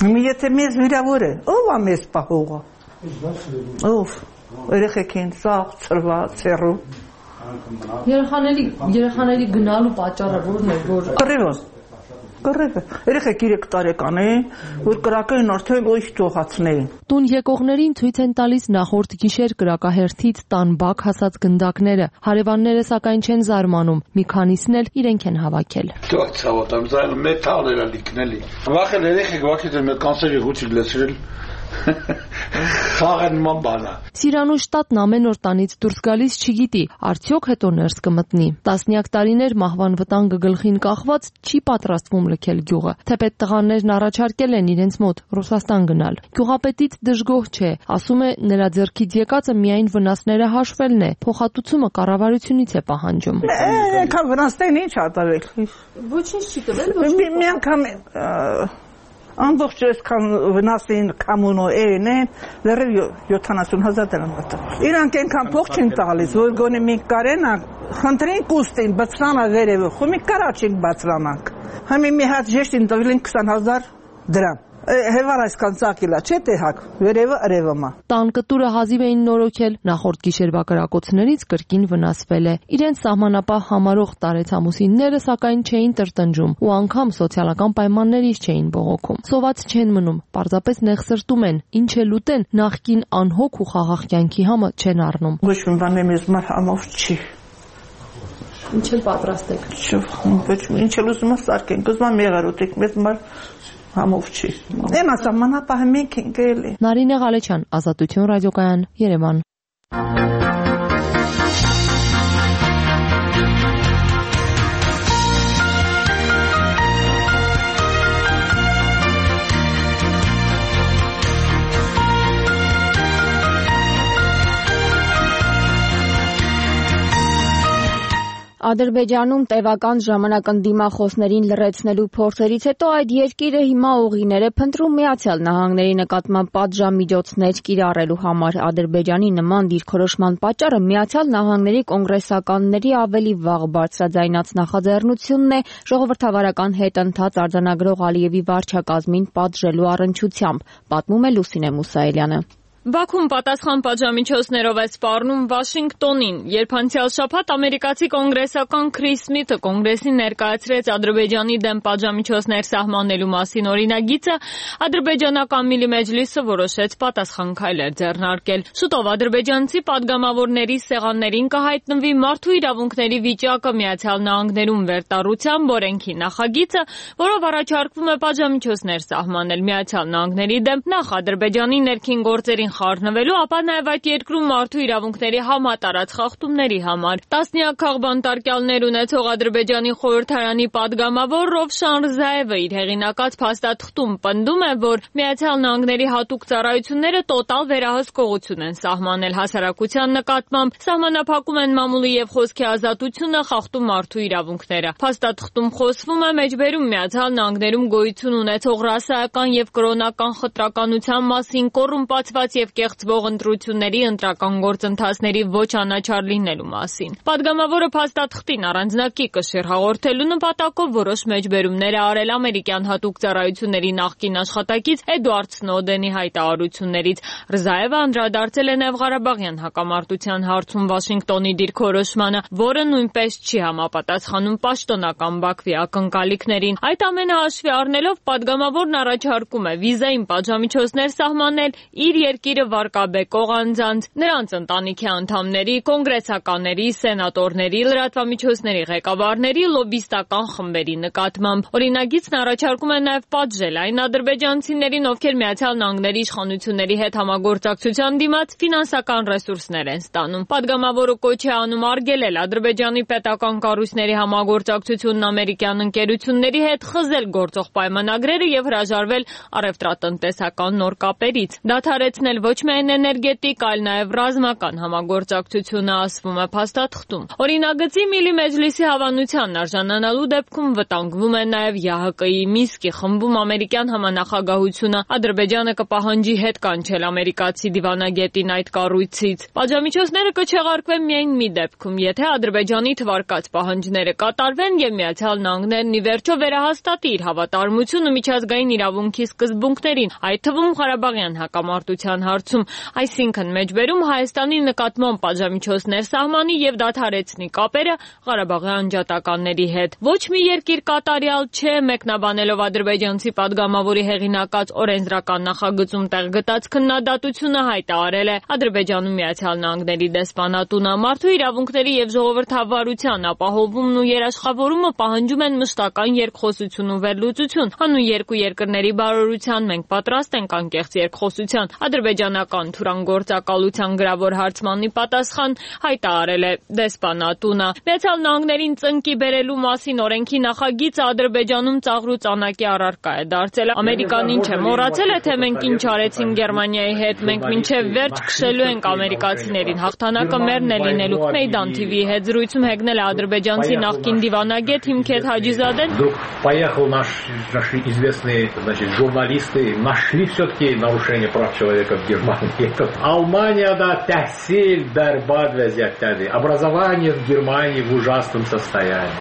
Մի եթե մեզ վիրավոր է, ով է մեզ պահողը։ Ով երեխեքին սաղ ծրված ցերու Երեխաների երեխաների գնալու պատճառը ո՞րն է, որ Կռիվը Կռիվը երեխեք երեք տարեկան են, որ կրակային արդեն ոյ թողացնեին Տուն եկողներին ցույց են տալիս նախորդ գիշեր կրակահերթից տան բակ հասած գնդակները։ Հարևանները սակայն չեն զարմանում, մի քանիսն էլ իրենք են հավաքել։ Դու ցավոտ եմ զայլ մետալ էր լիքնելի։ Վախել երեխեք վախից են կանսերի հուչի լեցրել։ Խաղն ման բանա։ Սիրանուշտատն ամեն օր տանից դուրս գալիս չգիտի, արդյոք հետո ներս կմտնի։ Տասնյակ տարիներ մահվան վտանգը գլխին կախված չի պատրաստվում լքել գյուղը։ Թեպետ տղաներն առաջարկել են իրենց մոտ Ռուսաստան գնալ։ Գյուղապետից դժգոհ չէ, ասում է նրա ձեռքից եկածը միայն վնասները հաշվելն է, փոխհատուցումը կառավարությունից է պահանջում։ Այնքան վնասներին ինչ ատարել։ Ոչինչ չի տվել, մի անգամ Ամբողջ այսքան վնասին կամունո են են, լրիվ յոթանասուն հազար դրամ տվել։ Իրանք այնքան փող չեն տալիս, որ գոնե մենք կարենանք, խնդրենք ուստին բացրանա վերևը, խո մենք կարաչենք բացրանանք։ Համի մի հատ ժեշտին տվել են քսան հազար դրամ։ Հևար այսքան ծակիլա, չէ՞ տեղակ, վերևը արևը։ Տան կտուրը հազիվ էին նորոգել, նախորդ գիշերվա կրակոցներից կրկին վնասվել է։ Իրենց սահմանապահ համարող տարեցամուսինները սակայն չէին տրտնջում ու անգամ սոցիալական պայմաններից չէին բողոքում։ Սոված չեն մնում, պարզապես նեղսրտում են, ինչ էլ ուտեն, նախկին անհոգ ու խաղաղ կյանքի համը չեն առնում։ Ոչ մի բան մեզ մար համով չի։ Ինչ էլ պատրաստեք։ Ոչ ինչ էլ ուզում ես սարքենք, ուզում եմ եղար ուտենք, մեզ մար համով չի։ Դեմ ասամանապահ մենք ենք էլի։ Նարինե Ղալեչյան, Ազատություն ռադիոկայան, Երևան։ Ադրբեջանում տևական ժամանակ ընդդիմախոսներին լռեցնելու փորձերից հետո այդ երկիրը հիմա ուղիներ է փնտրում Միացյալ Նահանգների նկատմամբ պատժամիջոցներ կիրառելու համար։ Ադրբեջանի նման դիրքորոշման պատճառը Միացյալ Նահանգների կոնգրեսականների ավելի վաղ բարձրաձայնած նախաձեռնությունն է ժողովրդավարական հետընթաց արձանագրող Ալիևի վարչակազմին պատժելու առընչությամբ, պատմում է Լուսինե Մուսայելյանը։ Բաքուն պատասխան պատժամիջոցներով է սպառնում Վաշինգտոնին, երբ անցյալ շաբաթ ամերիկացի կոնգրեսական Քրիս Սմիթը կոնգրեսին ներկայացրեց Ադրբեջանի դեմ պատժամիջոցներ սահմանելու մասին օրինագիծը, ադրբեջանական Միլի Մեջլիսը որոշեց պատասխան քայլեր ձեռնարկել։ Շուտով ադրբեջանցի падգամավորների սեղաններին կհայտնվի մարդու իրավունքների վիճակը Միացյալ Նահանգներում վերտառության օրենքի նախագիծը, որով առաջարկվում է պատժամիջոցներ սահմանել Միացյալ Նահանգների դեմ նախ Ադրբեջանի ներքին գործերին խառնվելու, ապա նաև այդ երկրում մարդու իրավունքների համատարած խախտումների համար։ Տասնյակ քաղբանտարկյալներ ունեցող Ադրբեջանի խորհրդարանի падգամավոր Ռովշան Ռզաևը իր հեղինակած փաստաթղթում պնդում է, որ Միացյալ Նահանգների հատուկ ծառայությունները տոտալ վերահսկողություն են սահմանել հասարակության նկատմամբ, սահմանափակում են մամուլի եւ խոսքի ազատությունը, խախտում մարդու իրավունքները։ Փաստաթղթում խոսվում է մեջբերում Միացյալ Նահանգներում գոյություն ունեցող ռասայական եւ կրոնական խտրականության մասին, կոռումպացված եւ կեղծվող ընտրությունների ընտրական գործընթացների ոչ անաչառ լինելու մասին։ Պատգամավորը փաստաթղթին առանձնակի կշիռ հաղորդելու նպատակով որոշ մեջբերումներ է արել ամերիկյան հատուկ ծառայությունների նախկին աշխատակից Էդուարդ Սնոուդենի հայտարարություններից։ Ռզաևը անդրադարձել է նաև Ղարաբաղյան հակամարտության հարցում Վաշինգտոնի դիրքորոշմանը, որը նույնպես չի համապատասխանում պաշտոնական Բաքվի ակնկալիքներին։ Այդ ամենը հաշվի առնելով պատգամավորն առաջարկում է վիզային պատժամիջոցներ սահմանել իր երկիրը վարկաբեկող անձանց, նրանց ընտանիքի անդամների, կոնգրեսականների, սենատորների, լրատվամիջոցների ղեկավարների, լոբիստական խմբերի նկատմամբ։ Օրինագիծն առաջարկում է նաև պատժել այն ադրբեջանցիներին, ովքեր Միացյալ Նահանգների իշխանությունների հետ համագործակցության դիմաց ֆինանսական ռեսուրսներ են ստանում։ Պատգամավորը կոչ է անում արգելել Ադրբեջանի պետական կառույցների համագործակցությունն ամերիկյան ընկերությունների հետ, խզել գործող պայմանագրերը եւ հրաժարվել առևտրատնտեսական նոր կապերից։ Դադարեցնել ոչ միայն էներգետիկ, այլ նաև ռազմական համագործակցությունը, ասվում է փաստաթղթում։ Օրինագծի Միլի Մեջլիսի հավանությանն արժանանալու դեպքում վտանգվում է նաև ԵԱՀԿ-ի Մինսկի խմբում ամերիկյան համանախագահությունը։ Ադրբեջանը կպահանջի հետ կանչել ամերիկացի դիվանագետին այդ կառույցից։ Պատժամիջոցները կչեղարկվեն միայն մի դեպքում, եթե Ադրբեջանի թվարկած պահանջները կատարվեն եւ Միացյալ Նահանգներն ի վերջո վերահաստատի իր հավատարմությունը միջազգային իրավունքի սկզբունքներին, այդ թվում Ղարաբաղյան հակամարտության հարցում, այսինքն մեջբերում Հայաստանի նկատմամբ պատժամիջոցներ սահմանի եւ դադարեցնի կապերը Ղարաբաղի անջատականների հետ։ Ոչ մի երկիր կատարյալ չէ, մեկնաբանելով ադրբեջանցի падգամավորի հեղինակած օրենսդրական նախագծում տեղ գտած քննադատությունը հայտարարել է Ադրբեջանում Միացյալ Նահանգների դեսպանատունը։ Մարդու իրավունքների եւ ժողովրդավարության ապահովումն ու երաշխավորումը պահանջում են մշտական երկխոսություն ու վերլուծություն։ Հանուն երկու երկրների բարօրության մենք պատրաստ ենք անկեղծ երկխոսության։ Ադրբեջանական թուրանգործակալության գրավոր հարցմանի պատասխան հայտարարել է դեսպանատունը։ Միացյալ Նահանգներին ծնկի բերելու մասին օրենքի նախագիծը Ադրբեջանում ծաղրու ծանակի առարկա է դարձել։ Ամերիկան ինչ է մոռացել է, թե մենք ինչ արեցինք Գերմանիայի հետ։ Մենք մինչև վերջ քշելու ենք ամերիկացիներին։ Հաղթանակը մերն է լինելու։ Մեյդան Թի Վի-ի հետ զրույցում հեգնել է ադրբեջանցի նախկին դիվանագետ Հիմքեթ Հաջիզադեն։ Поехал наш наши известные, значит, журналисты нашли все-таки нарушение прав человека в Германии. Almanya'da tahsil berbat vəziyyətdədir. Образование в Германии в ужасном состоянии.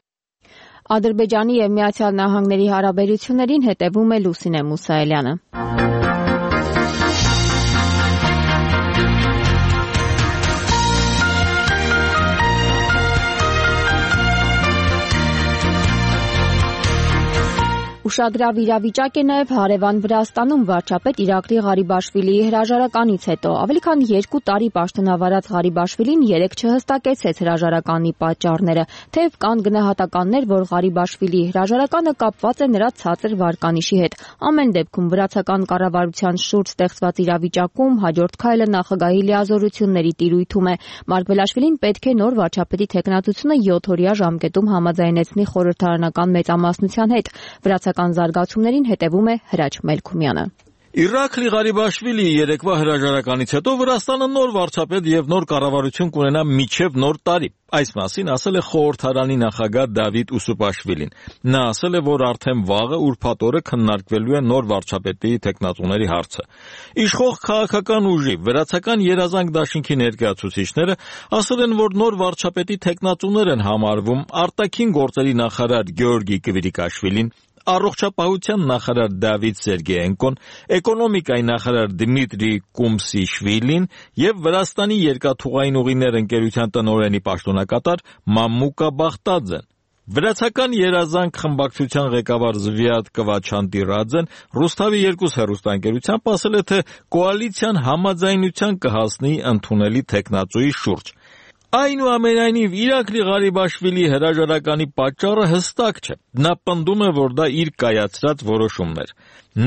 Ադրբեջանի եւ Միացյալ Նահանգների հարաբերություններին հետևում է Լուսինե Մուսայելյանը։ Ուշագրավ իրավիճակ է նաև հարևան Վրաստանում վարչապետ Իրակլի Ղարիբաշվիլիի հրաժարականից հետո։ Ավելի քան երկու տարի պաշտոնավարած Ղարիբաշվիլին երեկ չհստակեցեց հրաժարականի պատճառները, թեև կան գնահատականներ, որ Ղարիբաշվիլիի հրաժարականը կապված է նրա ցածր վարկանիշի հետ։ Ամեն դեպքում վրացական կառավարության շուրջ ստեղծված իրավիճակում հաջորդ քայլը նախագահի լիազորությունների տիրույթում է։ Մարգվելաշվիլին պետք է նոր վարչապետի թեկնածությունը յոթօրյա ժամկետում համաձայնեցնի խորհրդարանական մեծամասնության հետ։ Վրացական զարգացումներին հետևում է Հրաչ Մելքումյանը։ Իրակլի Ղարիբաշվիլիի երեկվա հրաժարականից հետո Վրաստանը նոր վարչապետ եւ նոր կառավարություն կունենա մինչեւ նոր տարի։ Այս մասին ասել է խորհրդարանի նախագահ Դավիթ Ուսուպաշվիլին։ Նա ասել է, որ արդեն վաղը ուրբաթ օրը քննարկվելու է նոր վարչապետի թեկնածուների հարցը։ Իշխող քաղաքական ուժի վրացական երազանք դաշինքի ներկայացուցիչները ասել են, որ նոր վարչապետի թեկնածուներ են համարվում արտաքին գործերի նախարար Գեորգի Կվիրիկաշվիլին, առողջապահության նախարար Դավիթ Սերգեենկոն, էկոնոմիկայի նախարար Դմիտրի Կումսիշվիլին եւ Վրաստանի երկաթուղային ուղիներ ընկերության տնօրենի պաշտոնակատար Մամուկա Բախտաձեն։ Վրացական երազանք խմբակցության ղեկավար Զվիատ Կվաչանտիրաձեն Ռուսթավի երկուս հեռուստաընկերությամբ ասել է, թե կոալիցիան համաձայնության կհասնի ընդունելի թեկնածուի շուրջ։ Այնուամենայնիվ Իրակլի Ղարիբաշվիլիի հրաժարականի պատճառը հստակ չէ։ Նա պնդում է, որ դա իր կայացրած որոշումներ։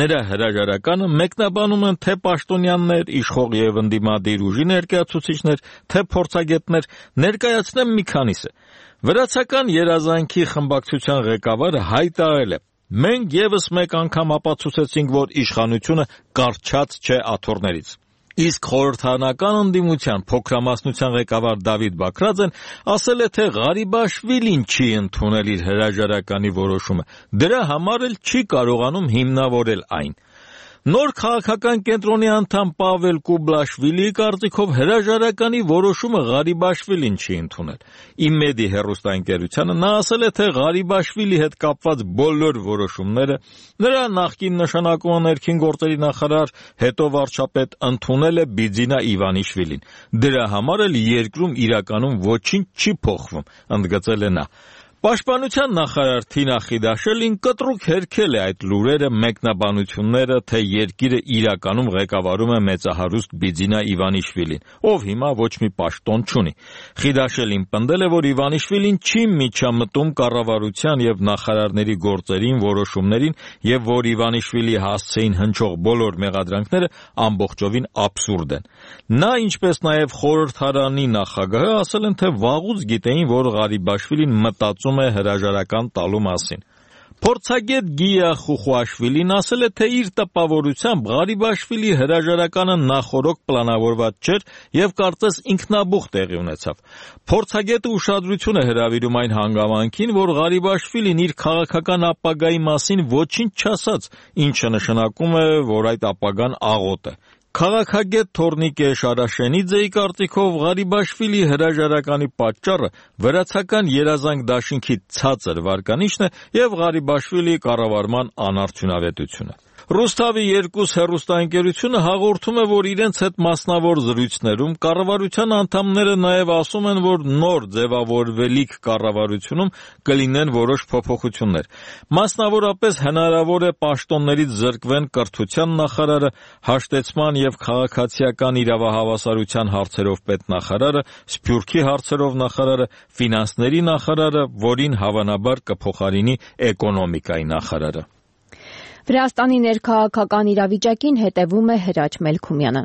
Նրա հրաժարականը մեկնաբանում են թե պաշտոնյաներ, իշխող եւ ընդդիմադիր ուժի ներկայացուցիչներ, թե փորձագետներ, ներկայացնեմ մի քանիսը։ Վրացական երազանքի խմբակցության ղեկավարը հայտարարել է. «Մենք եւս մեկ անգամ ապացուցեցինք, որ իշխանությունը կարճած չէ աթոռներից»։ Իսկ խորհրդարանական ընդդիմության փոքրամասնության ղեկավար Դավիթ Բաքրաձեն ասել է, թե Ղարիբաշվիլին չի ընդունել իր հրաժարականի որոշումը, դրա համար էլ չի կարողանում հիմնավորել այն։ Նոր քաղաքական կենտրոնի անդամ Պավել Կուբլաշվիլիի կարծիքով հրաժարականի որոշումը Ղարիբաշվիլին չի ընդունել։ Իմեդի հեռուստաընկերությանը նա ասել է, թե Ղարիբաշվիլի հետ կապված բոլոր որոշումները նրա նախկին նշանակումը ներքին գործերի նախարար, հետո վարչապետ ընդունել է Բիձինա Իվանիշվիլին։ Դրա համար էլ երկրում իրականում ոչինչ չի փոխվում, ընդգծել է նա։ Պաշտպանության նախարար Թինա Խիդաշելին կտրուկ հերքել է այդ լուրերը, մեկնաբանությունները, թե երկիրը իրականում ղեկավարում է մեծահարուստ Բիձինա Իվանիշվիլին, ով հիմա ոչ մի պաշտոն չունի։ Խիդաշելին պնդել է, որ Իվանիշվիլին չի միջամտում կառավարության եւ նախարարների գործերին, որոշումներին եւ որ Իվանիշվիլի հասցեին հնչող բոլոր մեղադրանքները ամբողջովին աբսուրդ են։ Նա, ինչպես նաեւ խորհրդարանի նախագահը, ասել են, թե վաղուց գիտեին, որ Ղարիբաշվիլին մտածում է հրաժարական տալու մասին։ Փորձագետ Գիա Խուխուաշվիլին ասել է, թե իր տպավորությամբ Ղարիբաշվիլի հրաժարականը նախօրոք պլանավորված չէր եւ կարծես ինքնաբուխ տեղի ունեցավ։ Փորձագետը ուշադրություն է հրավիրում այն հանգամանքին, որ Ղարիբաշվիլին իր քաղաքական ապագայի մասին ոչինչ չասաց, ինչը նշանակում է, որ այդ ապագան աղոտ է։ Քաղաքագետ Թորնիկե Շարաշենիձեի կարծիքով Ղարիբաշվիլի հրաժարականի պատճառը վրացական երազանք դաշինքի ցածր վարկանիշն է եւ Ղարիբաշվիլի կառավարման անարդյունավետությունը։ Ռուսթավի երկուս հեռուստաընկերությունը հաղորդում է, որ իրենց հետ մասնավոր զրույցներում կառավարության անդամները նաև ասում են, որ նոր ձևավորվելիք կառավարությունում կլինեն որոշ փոփոխություններ։ Մասնավորապես հնարավոր է պաշտոններից զրկվեն կրթության նախարարը, հաշտեցման եւ քաղաքացիական իրավահավասարության հարցերով պետնախարարը, Սփյուռքի հարցերով նախարարը, ֆինանսների նախարարը, որին հավանաբար կփոխարինի էկոնոմիկայի նախարարը։ Վրաստանի ներքաղաքական իրավիճակին հետևում է Հրաչ Մելքումյանը։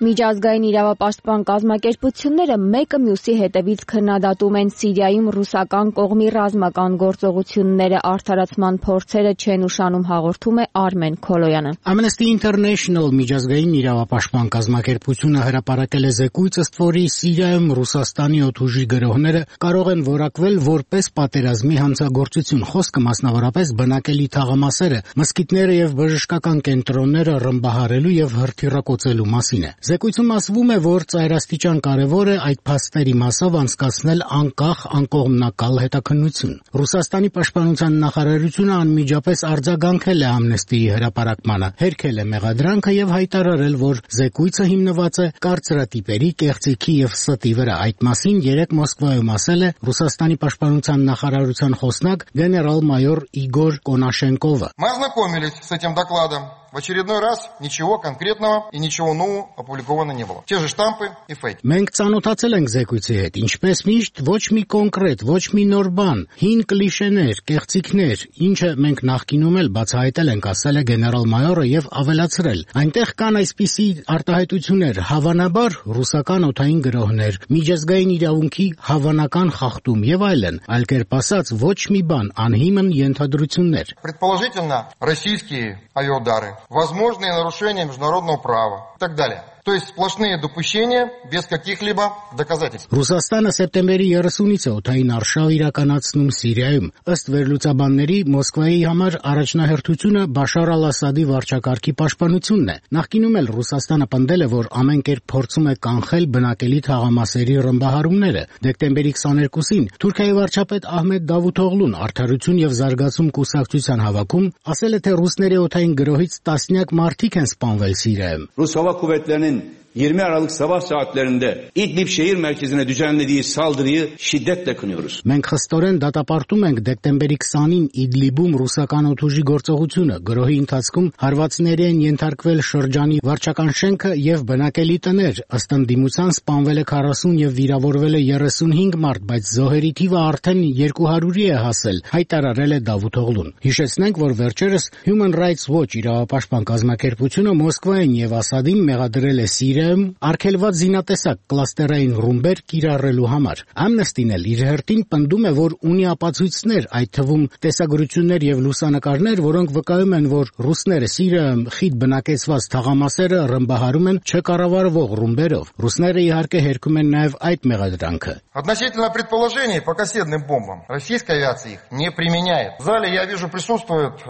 Միջազգային իրավապաշտպան կազմակերպությունները մեկը մյուսի հետևից քննադատում են Սիրիայում ռուսական կողմի ռազմական գործողությունները, արդարացման փորձերը չեն ուշանում, հաղորդում է Արմեն Քոլոյանը։ Amnesty International միջազգային իրավապաշտպան կազմակերպությունը հրապարակել է զեկույց, ըստ որի Սիրիայում Ռուսաստանի օդուժի գրոհները կարող են որակվել որպես պատերազմի հանցագործություն։ Խոսքը մասնավորապես բնակելի թաղամասերը, մզկիթները եւ բժշկական կենտրոնները ռմբահարելու եւ հրթիռակոծելու մասին է։ Զեկույցում ասվում է, որ ծայրաստիճան կարևոր է այդ փաստերի մասով անցկացնել անկախ, անկողմնակալ հետաքննություն։ Ռուսաստանի պաշտպանության նախարարությունը անմիջապես արձագանքել է Ամնեստիի հրապարակմանը, հերքել է մեղադրանքը եւ հայտարարել, որ զեկույցը հիմնված է կարծրատիպերի, կեղծիքի եւ ստի վրա։ Այդ մասին երեկ Մոսկվայում ասել է Ռուսաստանի պաշտպանության նախարարության խոսնակ գեներալ-մայոր Իգոր Կոնաշենկովը։ Мы ознакомились с этим докладом. В очередной раз ничего конкретного и ничего нового опубликовано не было. Те же штампы и фейки. Մենք ծանոթացել ենք զեկույցի հետ, ինչպես միշտ ոչ մի կոնկրետ, ոչ մի նոր բան, հին կլիշեներ, կեղծիքներ, ինչը մենք նախկինում էլ բացահայտել ենք, ասել է գեներալ-մայորը եւ ավելացրել։ Այնտեղ կան այսպիսի արտահայտություններ, հավանաբար ռուսական օդային գրոհներ, միջազգային իրավունքի հավանական խախտում եւ այլն, այլ կերպ ասած ոչ մի բան, անհիմն ենթադրություններ։ Предположительно, российские авиаудары, возможные нарушения международного права и так далее. То есть сплошные допущения без каких-либо доказательств. Ռուսաստանը սեպտեմբերի երեսունից է օդային արշավ իրականացնում Սիրիայում։ Ըստ վերլուծաբանների, Մոսկվայի համար առաջնահերթությունը Բաշար al-Ասադի վարչակարգի պաշտպանությունն է։ Նախկինում էլ Ռուսաստանը պնդել է, որ ամեն կերպ փորձում է կանխել բնակելի թաղամասերի ռմբահարումները։ Դեկտեմբերի քսաներկուսին Թուրքիայի վարչապետ Ահմեդ Դավութօղլուն Արդարություն եւ զարգացում կուսակցության հավաքում ասել է, թե ռուսների օդային գրոհից տասնյակ մարդիկ են սպանվել Սիրիայում։ Rus Hava Kuvvetleri'nin yirmi Aralık sabah saatlerinde İdlib şehir merkezine düzenlediği saldırıyı şiddetle kınıyoruz. Մենք խստորեն դատապարտում ենք դեկտեմբերի քսանին Իդլիբում ռուսական օդուժի գործողությունը։ Գրոհի ընթացքում հարվածների են ենթարկվել շրջանի վարչական շենքը եւ բնակելի տներ։ Ըստ ընդդիմության սպանվել է քառասուն եւ վիրավորվել է երեսունհինգ մարդ, բայց զոհերի թիվը արդեն երկու հարյուրի է հասել, հայտարարել է Դավութօղլուն։ Հիշեցնենք, որ վերջերս Human Rights Watch իրավապաշտպան կազմակերպությունը Մոսկվային եւ Ասադին մեղադրել է Սիրիա արգելված զինատեսակ կլաստերային ռումբեր կիրառելու համար։ Ամնեստին էլ իր հերթին պնդում է, որ ունի ապացույցներ, այդ թվում տեսագրություններ եւ լուսանկարներ, որոնք վկայում են, որ ռուսները Սիրիայում խիտ բնակեցված թաղամասերը ռմբահարում են չկառավարվող ռումբերով։ Ռուսները իհարկե հերքում են նաեւ այդ մեղադրանքը։ Относительно предположений по кассетным бомбам, российская авиация их не применяет. В зале, я вижу, присутствуют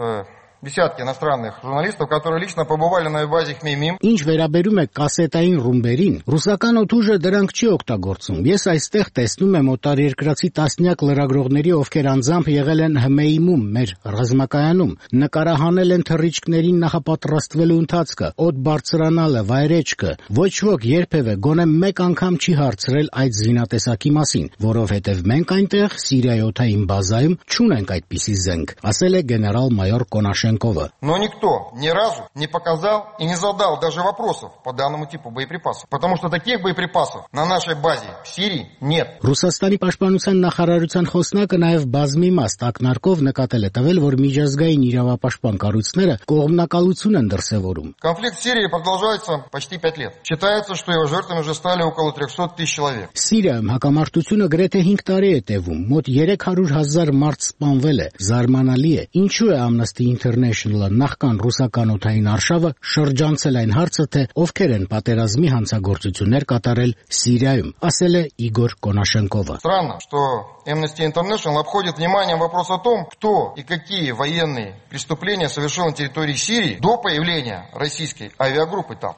десятки иностранных журналистов, которые лично побывали на базе Хмеймим. Ինչ վերաբերում է կասետային ռումբերին, ռուսական օդուժը դրանք չի օգտագործում։ Ես այստեղ տեսնում եմ օտարերկրացի տասնյակ լրագրողների, ովքեր անձամբ եղել են Հմեյմում, մեր ռազմակայանում, նկարահանել են թռիչքներին նախապատրաստվելու ընթացքը, օդ բարձրանալը, վայրեջքը։ Ոչ ոք երբևէ գոնե մեկ անգամ չի հարցրել այդ զինատեսակի մասին, որովհետև մենք այնտեղ Սիրիայի օդային բազայում չունենք այդպիսի զենք, ասել է գեներալ-մայոր Կոնաշեն։ Но никто ни разу не показал и не задал даже вопросов по данному типу боеприпасов, потому что таких боеприпасов на нашей базе в Сирии нет. Ռուսաստանի պաշտպանության նախարարության խոսնակը նաև բազմի մաս ակնարկով նկատել է տվել, որ միջազգային իրավապաշտպան կառույցները կողմնակալություն են դրսևորում։ Конфликт в Сирии продолжается почти пять лет. Считается, что его жертвами уже стали около трехсот тысяч человек. Սիրիայում հակամարտությունը գրեթե հինգ տարի է տևում, մոտ երեք հարյուր հազար մարդ սպանվել է, զարմանալի է։ Ինչու է Amnesty International International-ը նախքան ռուսական օդային արշավը շրջանցել այն հարցը, թե ովքեր են պատերազմի հանցագործություններ կատարել Սիրիայում, ասել է Իգոր Կոնաշենկովը։ Странно, что Amnesty International обходит вниманием вопрос о том, кто и какие военные преступления совершил на территории Сирии до появления российской авиагруппы там.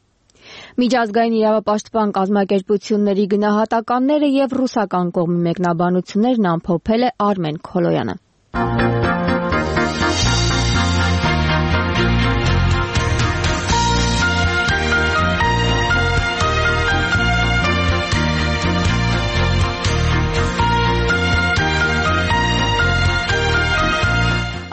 Միջազգային իրավապաշտպան կազմակերպությունների գնահատականները եւ ռուսական կողմի մեկնաբանություններն ամփոփել է Արմեն Քոլոյանը։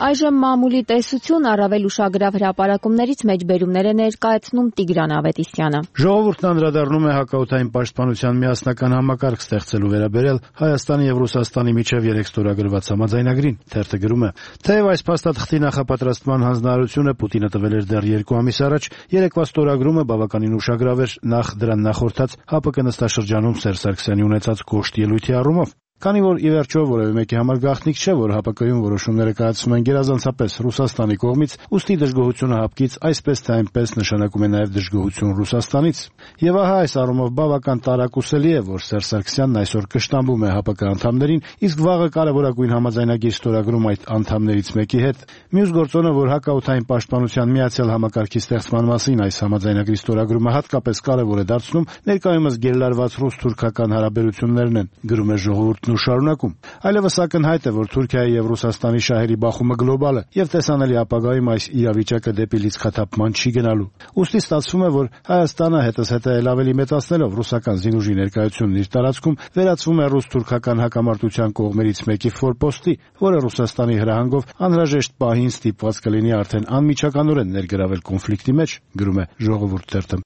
Այժմ մամուլի տեսություն առավել ուշագրավ հրապարակումներից մեջբերումներ է ներկայացնում Տիգրան Ավետիսյանը։ Ժողովուրդն անդրադառնում է հակաօդային պաշտպանության միասնական համակարգ ստեղծելու վերաբերյալ Հայաստանի եւ Ռուսաստանի միջև երեք ստորագրված համաձայնագրին։ Թերթը գրում է. Թեև այս փաստաթղթի նախապատրաստման հանձնարարությունը Պուտինը տվել էր դեռ երկու ամիս առաջ, երեկվա ստորագրումը բավականին ուշագրավ էր նախ դրան նախորդած ՀԱՊԿ նստաշրջանում Սերժ Սարգսյանի ունեցած կոշտ ելույթի առումով։ Քանի որ ի վերջո որևէ մեկի համար գաղտնիք չէ, որ ՀԱՊԿ-ում որոշումները կայացվում են գերազանցապես Ռուսաստանի կողմից, ուստի դժգոհությունը ՀԱՊԿ-ից այսպես թե այնպես նշանակում է նաև դժգոհություն Ռուսաստանից։ Եվ ահա այս առումով բավական տարակուսելի է, որ Սերժ Սարգսյանն այսօր կշտամբում է ՀԱՊԿ անդամներին, իսկ վաղը կարևորագույն համաձայնագիր ստորագրում այդ անդամներից մեկի հետ։ Մյուս գործոնը, որ հակաօդային պաշտպանության միացյալ համակարգի ստեղծման մասին այս համաձայնագրի ստորագրումը հատկապես կարևոր է դարձնում, ներկայումս գերլարված ռուս-թուրքական հարաբերություններն են, գրում է ժողովուրդն ու շարունակում։ Այլևս ակնհայտ է, որ Թուրքիայի եւ Ռուսաստանի շահերի բախումը գլոբալ է եւ տեսանելի ապագայում այս իրավիճակը դեպի լիցքաթափման չի գնալու։ Ուստի ստացվում է, որ Հայաստանը հետզհետե էլ ավելի մեծացնելով ռուսական զինուժի ներկայությունն իր տարածքում վերածվում է ռուս-թուրքական հակամարտության կողմերից մեկի ֆորպոստի, որը Ռուսաստանի հրահանգով անհրաժեշտ պահին ստիպված կլինի արդեն անմիջականորեն ներգրավել կոնֆլիկտի մեջ, գրում է Ժողովուրդ թերթը։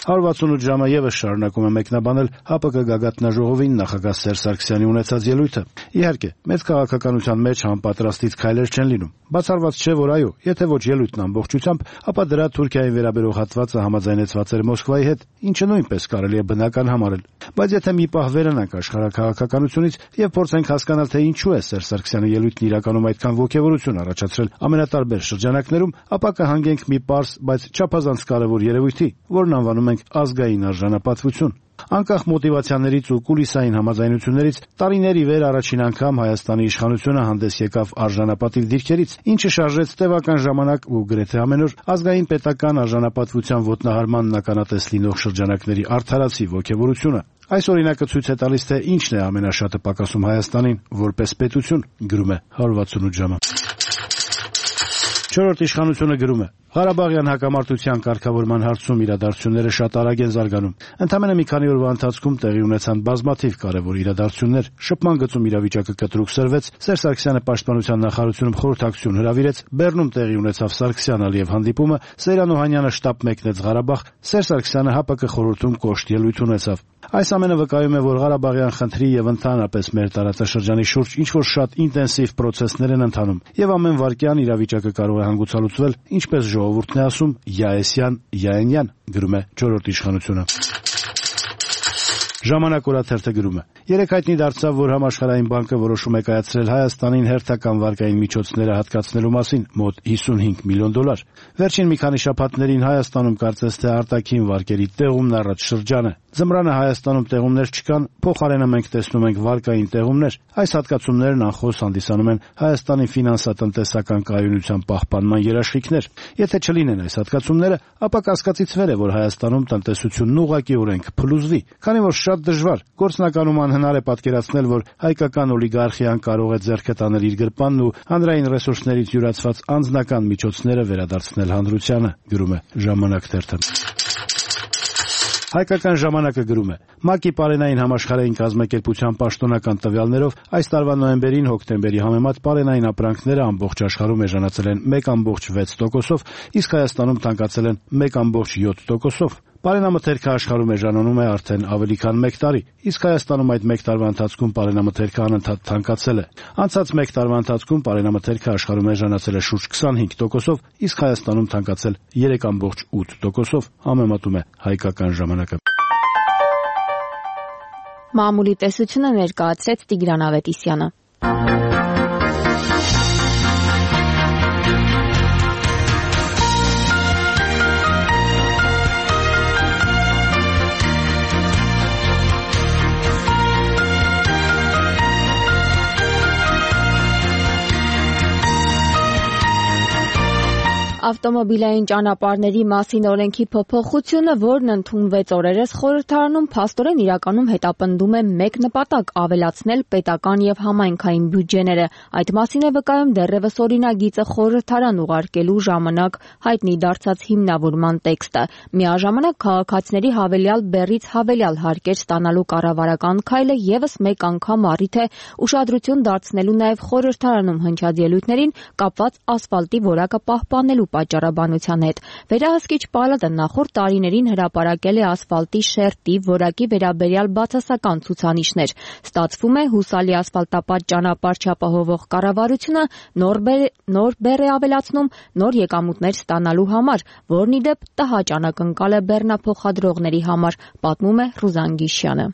հարյուր վաթսունութ ժամը եւս շարունակում է մեկնաբանել ՀԱՊԿ գագաթնաժողովին նախագահ Սերժ Սարգսյանի ունեցած ելույթը։ Իհարկե, մեծ քաղաքականության մեջ անպատրաստից քայլեր չեն լինում։ Բացառված չէ, որ այո, եթե ոչ ելույթն ամբողջությամբ, ապա դրա Թուրքիային վերաբերող հատվածը համաձայնեցված էր Մոսկվայի հետ, ինչը նույնպես կարելի է բնական համարել։ Բայց եթե մի պահ վերանանք աշխարհաքաղաքականությունից եւ փորձենք հասկանալ, թե ինչու է Սերժ Սարգսյանի ելույթն իրականում այդքան ոգևորություն առաջացրել ամենատարբեր շրջանակներում, ապա կհանգենք մի պարզ, բայց չափազանց կարևոր երևույթի, որն անվանում ենք ազգային արժանապատվություն։ Անկախ մոտիվացիաներից ու կուլիսային համաձայնություններից տարիների վեր առաջին անգամ Հայաստանի իշխանությունը հանդես եկավ արժանապատիվ դիրքերից, ինչը շարժեց տևական ժամանակ ու գրեթե ամեն օր ազգային պետական արժանապատվության ոտնահարմանն ականատես լինող շրջանակների արդարացի ոգևորությունը։ Այս օրինակը ցույց է տալիս, թե ինչն է ամենաշատը պակասում Հայաստանին որպես պետություն, գրում է հարյուր վաթսունութ ժամը։ Չորրորդ իշխանությունը գրում է. Ղարաբաղյան հակամարտության կարգավորման հարցում իրադարձությունները շատ արագ են զարգանում։ Ընդամենը մի քանի օրվա ընթացքում տեղի ունեցան բազմաթիվ կարևոր իրադարձություններ, շփման գծում իրավիճակը կտրուկ սրվեց, Սերժ Սարգսյանը պաշտպանության նախարարությունում խորհրդակցություն հրավիրեց, Բեռնում տեղի ունեցավ Սարգսյան-Ալիև հանդիպումը, Սեյրան Օհանյանը շտապ մեկնեց Ղարաբաղ, Սերժ Սարգսյանը ՀԱՊԿ խորհրդում կոշտ ելույթ ունեցավ։ Այս ամենը վկայում է, որ Ղարաբաղյան խնդրի եւ ընդհանրապես մեր տարածաշրջանի շուրջ ինչ-որ շատ ինտենսիվ պրոցեսներ են ընթանում, եւ ամեն վայրկյան իրավիճակը կարող է հանգուցալուծվել, ինչպես ժողովուրդն է ասում, Յաեսյան, Յաենյան, գրում է չորրորդ իշխանությունը։ Ժամանակ օրաթերթը գրում է. Երեք հայտնի դարձավ, որ Համաշխարհային բանկը որոշում է կայացրել Հայաստանին հերթական վարկային միջոցները հատկացնելու մասին մոտ հիսունհինգ միլիոն դոլար։ Վերջին մի քանի շաբաթներին Հայաստանում կարծես թե արտաքին վարկերի տեղումն առաջ շրջան է։ Ձմռանը Հայաստանում տեղումներ չկան, փոխարենը մենք տեսնում ենք վարկային տեղումներ։ Այս հատկացումներն անխոս հանդիսանում են Հայաստանի ֆինանսատնտեսական կայունության պահպանման երաշխիքներ։ Եթե չլինեն այս հատկացումները, ապա կասկածիցվել է, որ Հայաստանում տնտեսությունն ուղղակիորեն կփլուզվի, քանի որ շատ դժվար, գործնականում անհնար է պատկերացնել, որ հայկական օլիգարխիան կարող է ձեռքը տանել իր գրպանն ու հանրային ռեսուրսներից յուրացված անձնական միջոցները վերադարձնել հանրությանը, գրում է Ժամանակ թերթը։ Հայկական ժամանակը գրում է. ՄԱԿ-ի պարենային համաշխարհային կազմակերպության պաշտոնական տվյալներով այս տարվա նոյեմբերին հոկտեմբերի համեմատ պարենային ապրանքները ամբողջ աշխարհում էժանացել են մեկ կόμ վեց տոկոսով, իսկ Հայաստանում թանկացել են մեկ կόμ յոթ տոկոսով։ Պարենամթերքը աշխարհում էժանանում է արդեն ավելի քան մեկ տարի, իսկ Հայաստանում այդ մեկ տարվա ընթացքում պարենամթերքը անընդհատ թանկացել է։ Անցած մեկ տարվա ընթացքում պարենամթերքը աշխարհում էժանացել է շուրջ քսանհինգ տոկոսով, իսկ Հայաստանում թանկացել երեք կόμ ութ տոկոսով, համեմատում է Հայկական ժամանակը։ Մամուլի տեսությունը ներկայացրեց Տիգրան Ավետիսյանը։ Ավտոմոբիլային ճանապարհների մասին օրենքի փոփոխությունը, որն ընդունվեց օրերս խորհրդարանում, փաստորեն իրականում հետապնդում է մեկ նպատակ՝ ավելացնել պետական եւ համայնքային բյուջեները։ Այդ մասին է վկայում դեռևս օրինագիծը խորհրդարան ուղարկելու ժամանակ հայտնի դարձած հիմնավորման տեքստը։ Միաժամանակ քաղաքացիների հավելյալ բեռից հավելյալ հարկեր ստանալու կառավարական քայլը եւս մեկ անգամ առիթ է ուշադրություն դարձնելու նաեւ խորհրդարանում հնչած ելույթներին կապված ասֆալտի որակը պահպանելու պատճառաբանության հետ։ Վերահսկիչ պալատը նախորդ տարիներին հրապարակել է ասֆալտի շերտի որակի վերաբերյալ բացասական ցուցանիշներ։ Ստացվում է հուսալի ասֆալտապատ ճանապարհ չապահովող կառավարությունը նոր նոր բեռ է ավելացնում նոր եկամուտներ ստանալու համար, որն ի դեպ տհաճ անակնկալ է բեռնափոխադրողների համար, պատմում է Ռուզան Գիշյանը։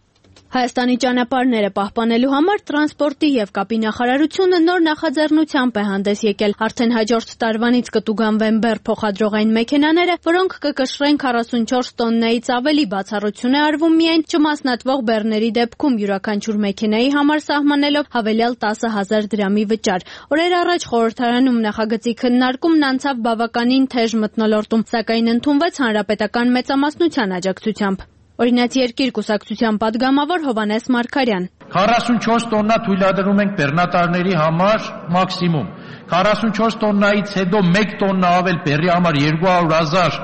Հայաստանի ճանապարհները պահպանելու համար տրանսպորտի եւ կապի նախարարությունը նոր նախաձեռնությամբ է հանդես եկել։ Արդեն հաջորդ տարվանից կտուգանվեն բեռ փոխադրողային մեքենաները, որոնք կկշռեն քառասունչորս տոննայից ավելի, բացառություն է արվում միայն չմասնատվող բեռների դեպքում յուրաքանչյուր մեքենայի համար սահմանելով հավելյալ տասը հազար դրամի վճար։ Օրեր առաջ խորհրդարանում նախագծի քննարկումն անցավ բավականին թեժ մթնոլորտում, սակայն ընդունվեց հանրապետական մեծամասնության աջակցությամբ։ Օրինաց երկիր կուսակցության падգամավոր Հովհաննես Մարգարյան։ քառասունչորս տոննա թույլատրում ենք բեռնատարների համար մաքսիմում։ քառասունչորս տոննայից հետո մեկ տոննա ավել բեռի համար երկու հարյուր հազար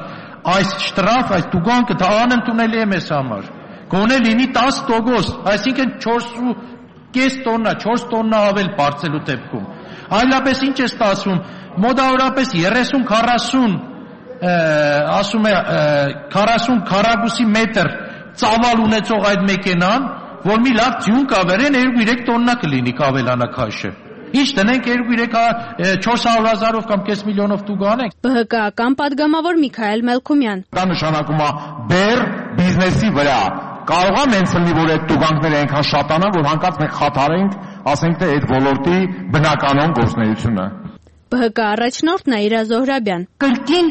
այս շտրաֆ, այս տուգանքը դա անընդունելի է մեզ համար։ Գոնե լինի տասը տոկոս, այսինքն չորս ու կես տոննա, չորս տոննա ավել բարձելու դեպքում։ Այլապես ինչ է ստացվում։ Մոտավորապես երեսուն քառասուն ասում է քառասուն քառակուսի մետր ծավալ ունեցող այդ մեքենան, որ մի լավ ձյուն կավերեն երկու երեք տոննա կլինի կավելանա քաշը։ Ինչ տնենք երկու երեք չորս հարյուր հազարով կամ կես միլիոնով տուգանենք։ Բ Հ Կ-ական падգամավոր Միքայել Մելքումյան։ Դա նշանակում է բեռ բիզնեսի վրա։ Կարող է մենց լինի, որ այդ տուգանքները այնքան շատանան, որ հանկարծ մենք խաթարենք, ասենք թե այդ ոլորտի բնականon գործունեությունը։ Բ Հ Կ առաջնորդ Նաիրա Զոհրաբյան։ Կրկին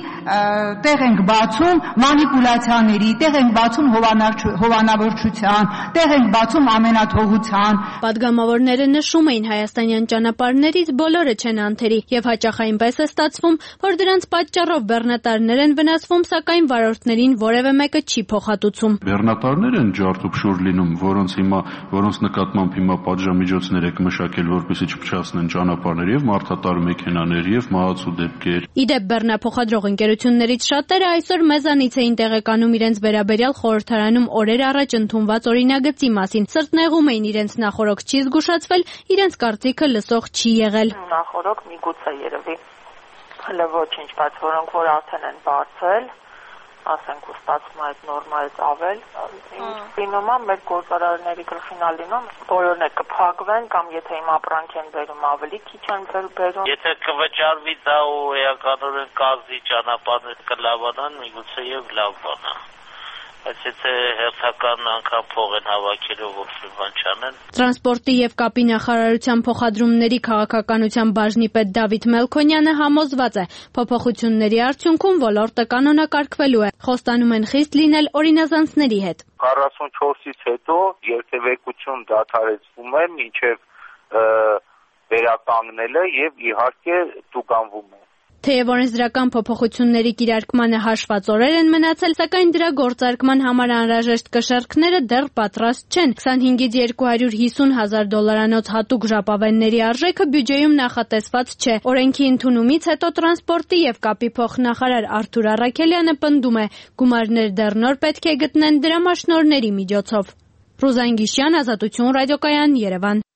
տեղ ենք բացում մանիպուլյացիաների, տեղ ենք բացում հովանավորչության, տեղ ենք բացում ամենաթողության։ Պատգամավորները նշում էին հայաստանյան ճանապարհներից բոլորը չեն անթերի եւ հաճախ այնպես է ստացվում, որ դրանց պատճառով բեռնատարներ են վնասվում, սակայն վարորդներին որևէ մեկը չի փոխհատուցում։ Բեռնատարներ են ջարդուփշուր լինում, որոնց հիմա որոնց նկատմամբ հիմա պատժամիջոցներ եք մշակել, որպեսզի չփչացնեն ճանապարհներ եւ մարդատար մեքենաներ եւ մահացու դեպքեր։ Իդեպ բեռնափոխադրող ընկերություններից շատերը այսօր մեզանից էին տեղեկանում իրենց վերաբերյալ խորհրդարանում օրեր առաջ ընդունված օրինագծի մասին։ Սրտնեղում էին իրենց նախորոք չի զգուշացվել, իրենց կարծիքը լսող չի եղել։ Նախորոք միգուցե երևի հələ ոչինչ, բայց որոնք որ արդեն են բարձել, ասենք ու ստացվում այդ նորմայից ավել, ինչ լինում է մեր գործարարների գլխին լինում, բոլորն է կփակվեն կամ եթե իմ ապրանք են բերում ավելի քիչ են բերում։ Եթե կվճարվի դա ու էականորեն կազդի ճանապարհներ կլավանան, միգուցե եւ լավ բան է։ Բայց եթե հերթական անգամ փող են հավաքելու ոչ մի բան չանեն։ Տրանսպորտի եւ կապի նախարարության փոխադրումների քաղաքականության բաժնի պետ Դավիթ Մելքոնյանը համոզված է, փոփոխությունների արդյունքում ոլորտը կանոնակարգվելու է։ Խոստանում են խիստ լինել օրինազանցների հետ։ քառասունչորսից հետո երթևեկություն դադարեցվում է մինչև վերականգնելը եւ իհարկե տուգանվում է։ Թեև օրենսդրական փոփոխությունների կիրարկմանը հաշված օրեր են մնացել, սակայն դրա գործարկման համար անհրաժեշտ կշեռքները դեռ պատրաստ չեն։ քսանհինգից երկու հարյուր հիսուն հազար դոլարանոց հատուկ ժապավենների արժեքը բյուջեում նախատեսված չէ։ Օրենքի ընդունումից հետո տրանսպորտի եւ կապի փոխնախարար Արթուր Առաքելյանը պնդում է, գումարներ դեռ նոր պետք է գտնեն դրամաշնորհների միջոցով։ Ռուզան Գիշյան, Ազատություն ռադիոկայան, Երևան։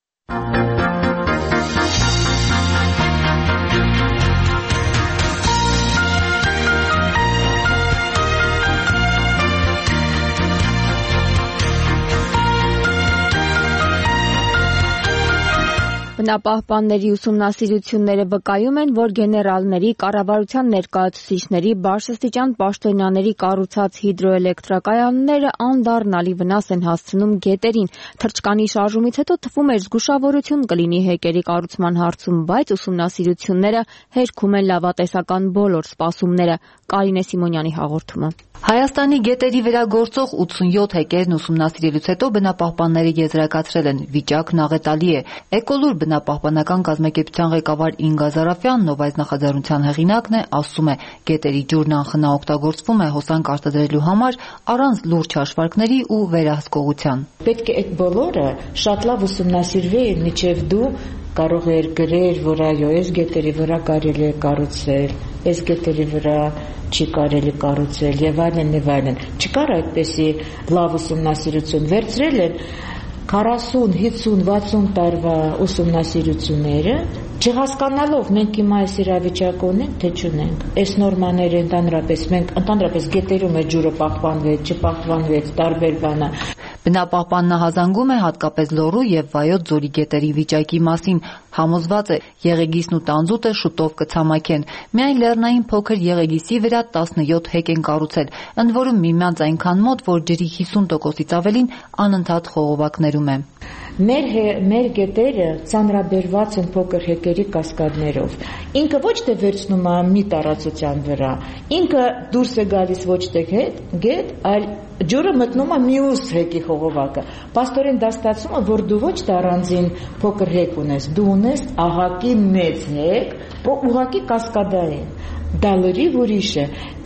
Բնապահպանների ուսումնասիրությունները վկայում են, որ գեներալների, կառավարության ներկայացուցիչների, բարձրաստիճան պաշտոնյաների կառուցած հիդրոէլեկտրակայանները անդառնալի վնաս են հասցնում գետերին։ Թռչկանի շարժումից հետո թվում էր զգուշավորություն կլինի հեկերի կառուցման հարցում, բայց ուսումնասիրությունները հերքում են լավատեսական բոլոր սպասումները։ Կարինե Սիմոնյանի հաղորդումը։ Հայաստանի գետերի վրա գործող ութսունյոթ հեկերն ուսումնասիրելուց հետո բնապահպանները եզրակացրել են՝ վիճակն աղետալի է։ Էկոլուր Բնապահպանական կազմակերպության ղեկավար Ինգա Զարաֆյանն, ով այս նախաձեռնության հեղինակն է, ասում է, գետերի ջուրն անխնա օգտագործվում է հոսանք արտադրելու համար առանց լուրջ հաշվարկների ու վերահսկողության։ Պետք է այդ բոլորը շատ լավ ուսումնասիրվի, մինչև դու կարող էր գրել, որ այո, այս գետերի վրա կարելի է կառուցել, այս գետերի վրա չի կարելի կառուցել եւ այլն եւ այլն։ Չկար այդպեսի լավ ուսումնասիրություն, վերցրել են քառասուն, հիսուն, վաթսուն տարվա ուսումնասիրությունները, չհասկանալով մենք հիմա այս իրավիճակը ունենք, թե չունենք։ Այս նորմաները ընդհանրապես մենք ընդհանրապես գետերում է ջուրը պահպանվեց, չպահպանվեց, տարբեր բանը։ Բնապահպանն հազանգում է հատկապես Լոռու եւ Վայոց ձորի գետերի վիճակի մասին, համոզված է Եղեգիսն ու Տանձուտը շուտով կցամաքեն։ Միայն Լեռնային փոքր Եղեգիսի վրա տասնյոթ հեկ են կառուցել, ընդ որում միմյանց այնքան մոտ, որ ջրի հիսուն տոկոսից ավելին անընդհատ խողովակներում է։ Մեր մեր գետերը ծանրաբերված են փոքր հեկերի կասկադներով։ Ինքը ոչ թե վերցնում է մի տարածության վրա, ինքը դուրս է գալիս ոչ թե գետ, այլ ջուրը մտնում է մյուս հեկի խողովակը։ Պաստորեն դա ստացվում է, որ դու ոչ թե առանձին փոքր հեկ ունես, դու ունես ահակի մեծ հեկ, ուղղակի կասկադային։ Դա լրիվ ուրիշ է,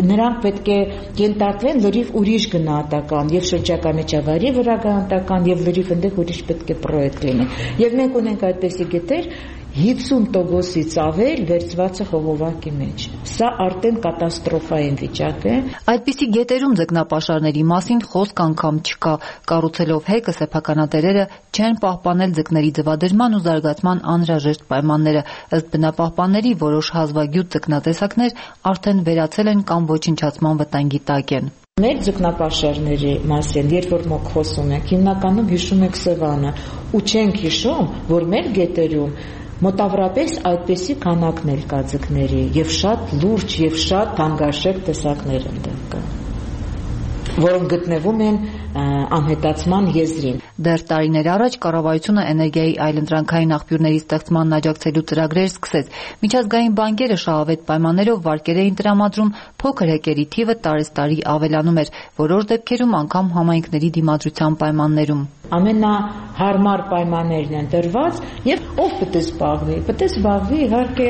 նրանք պետք է ենթարկվեն լրիվ ուրիշ գնահատական եւ շրջակա միջավայրի վրա գնահատական եւ լրիվ այնտեղ ուրիշ պետք է պրոյեկտ լինի։ Եվ մենք ունենք այդպիսի գետեր հիսուն տոկոսից ավել վերծված է խողովակի մեջ։ Սա արդեն կատաստրոֆային վիճակ է։ Այդպիսի գետերում ձկնապաշարների մասին խոսք անգամ չկա։ Կառուցելով հեկը սեփականատերերը չեն պահպանել ձկների ձվադրման ու զարգացման անհրաժեշտ պայմանները։ Ըստ բնապահպանների որոշ հազվագյուտ ձկնատեսակներ արդեն վերացել են կամ ոչնչացման վտանգի տակ են։ Մեր ձկնապաշարների մասին, երբ որ մոք խոսում ենք, հիմնականում հիշում ենք Սևանը, ու չենք հիշում, որ մեր գետերում մոտավորապես այդպիսի քանակն էլ կա ձկների եւ շատ լուրջ եւ շատ թանկարժեք տեսակներ ընդդեմ կա, որոնք գտնվում են անհետացման եզրին։ Դեռ տարիներ առաջ կառավարությունը էներգիայի այլընտրանքային աղբյուրների ստեղծմանն աջակցելու ծրագրեր սկսեց։ Միջազգային բանկերը շահավետ պայմաններով վարկեր էին տրամադրում, փոքր հեկերի թիվը տարեստարի ավելանում էր, որոշ դեպքերում անգամ համայնքների դիմադրության պայմաններում։ Ամենահարմար պայմաններն են տրված եւ ով պետք է զբաղվի։ Պետք է զբաղվի իհարկե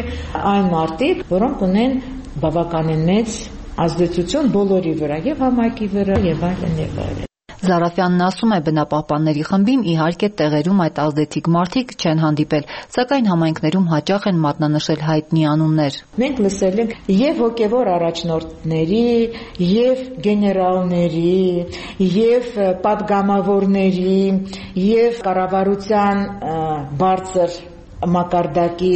այն մարդիկ, որոնք ունեն բավականին մեծ ազդեցություն բոլորի վրա, եւ համայնքի վրա, եւ այլն եւ այլն։ Զարաֆյանն ասում է, բնապահպանների խմբին իհարկե տեղերում այդ ազդեցիկ մարդիկ չեն հանդիպել, սակայն համայնքներում հաճախ են մատնանշել հայտնի անուններ։ Մենք լսել ենք եւ հոգեվոր առաջնորդների, եւ գեներալների, եւ պատգամավորների, եւ կառավարության բարձր մակարդակի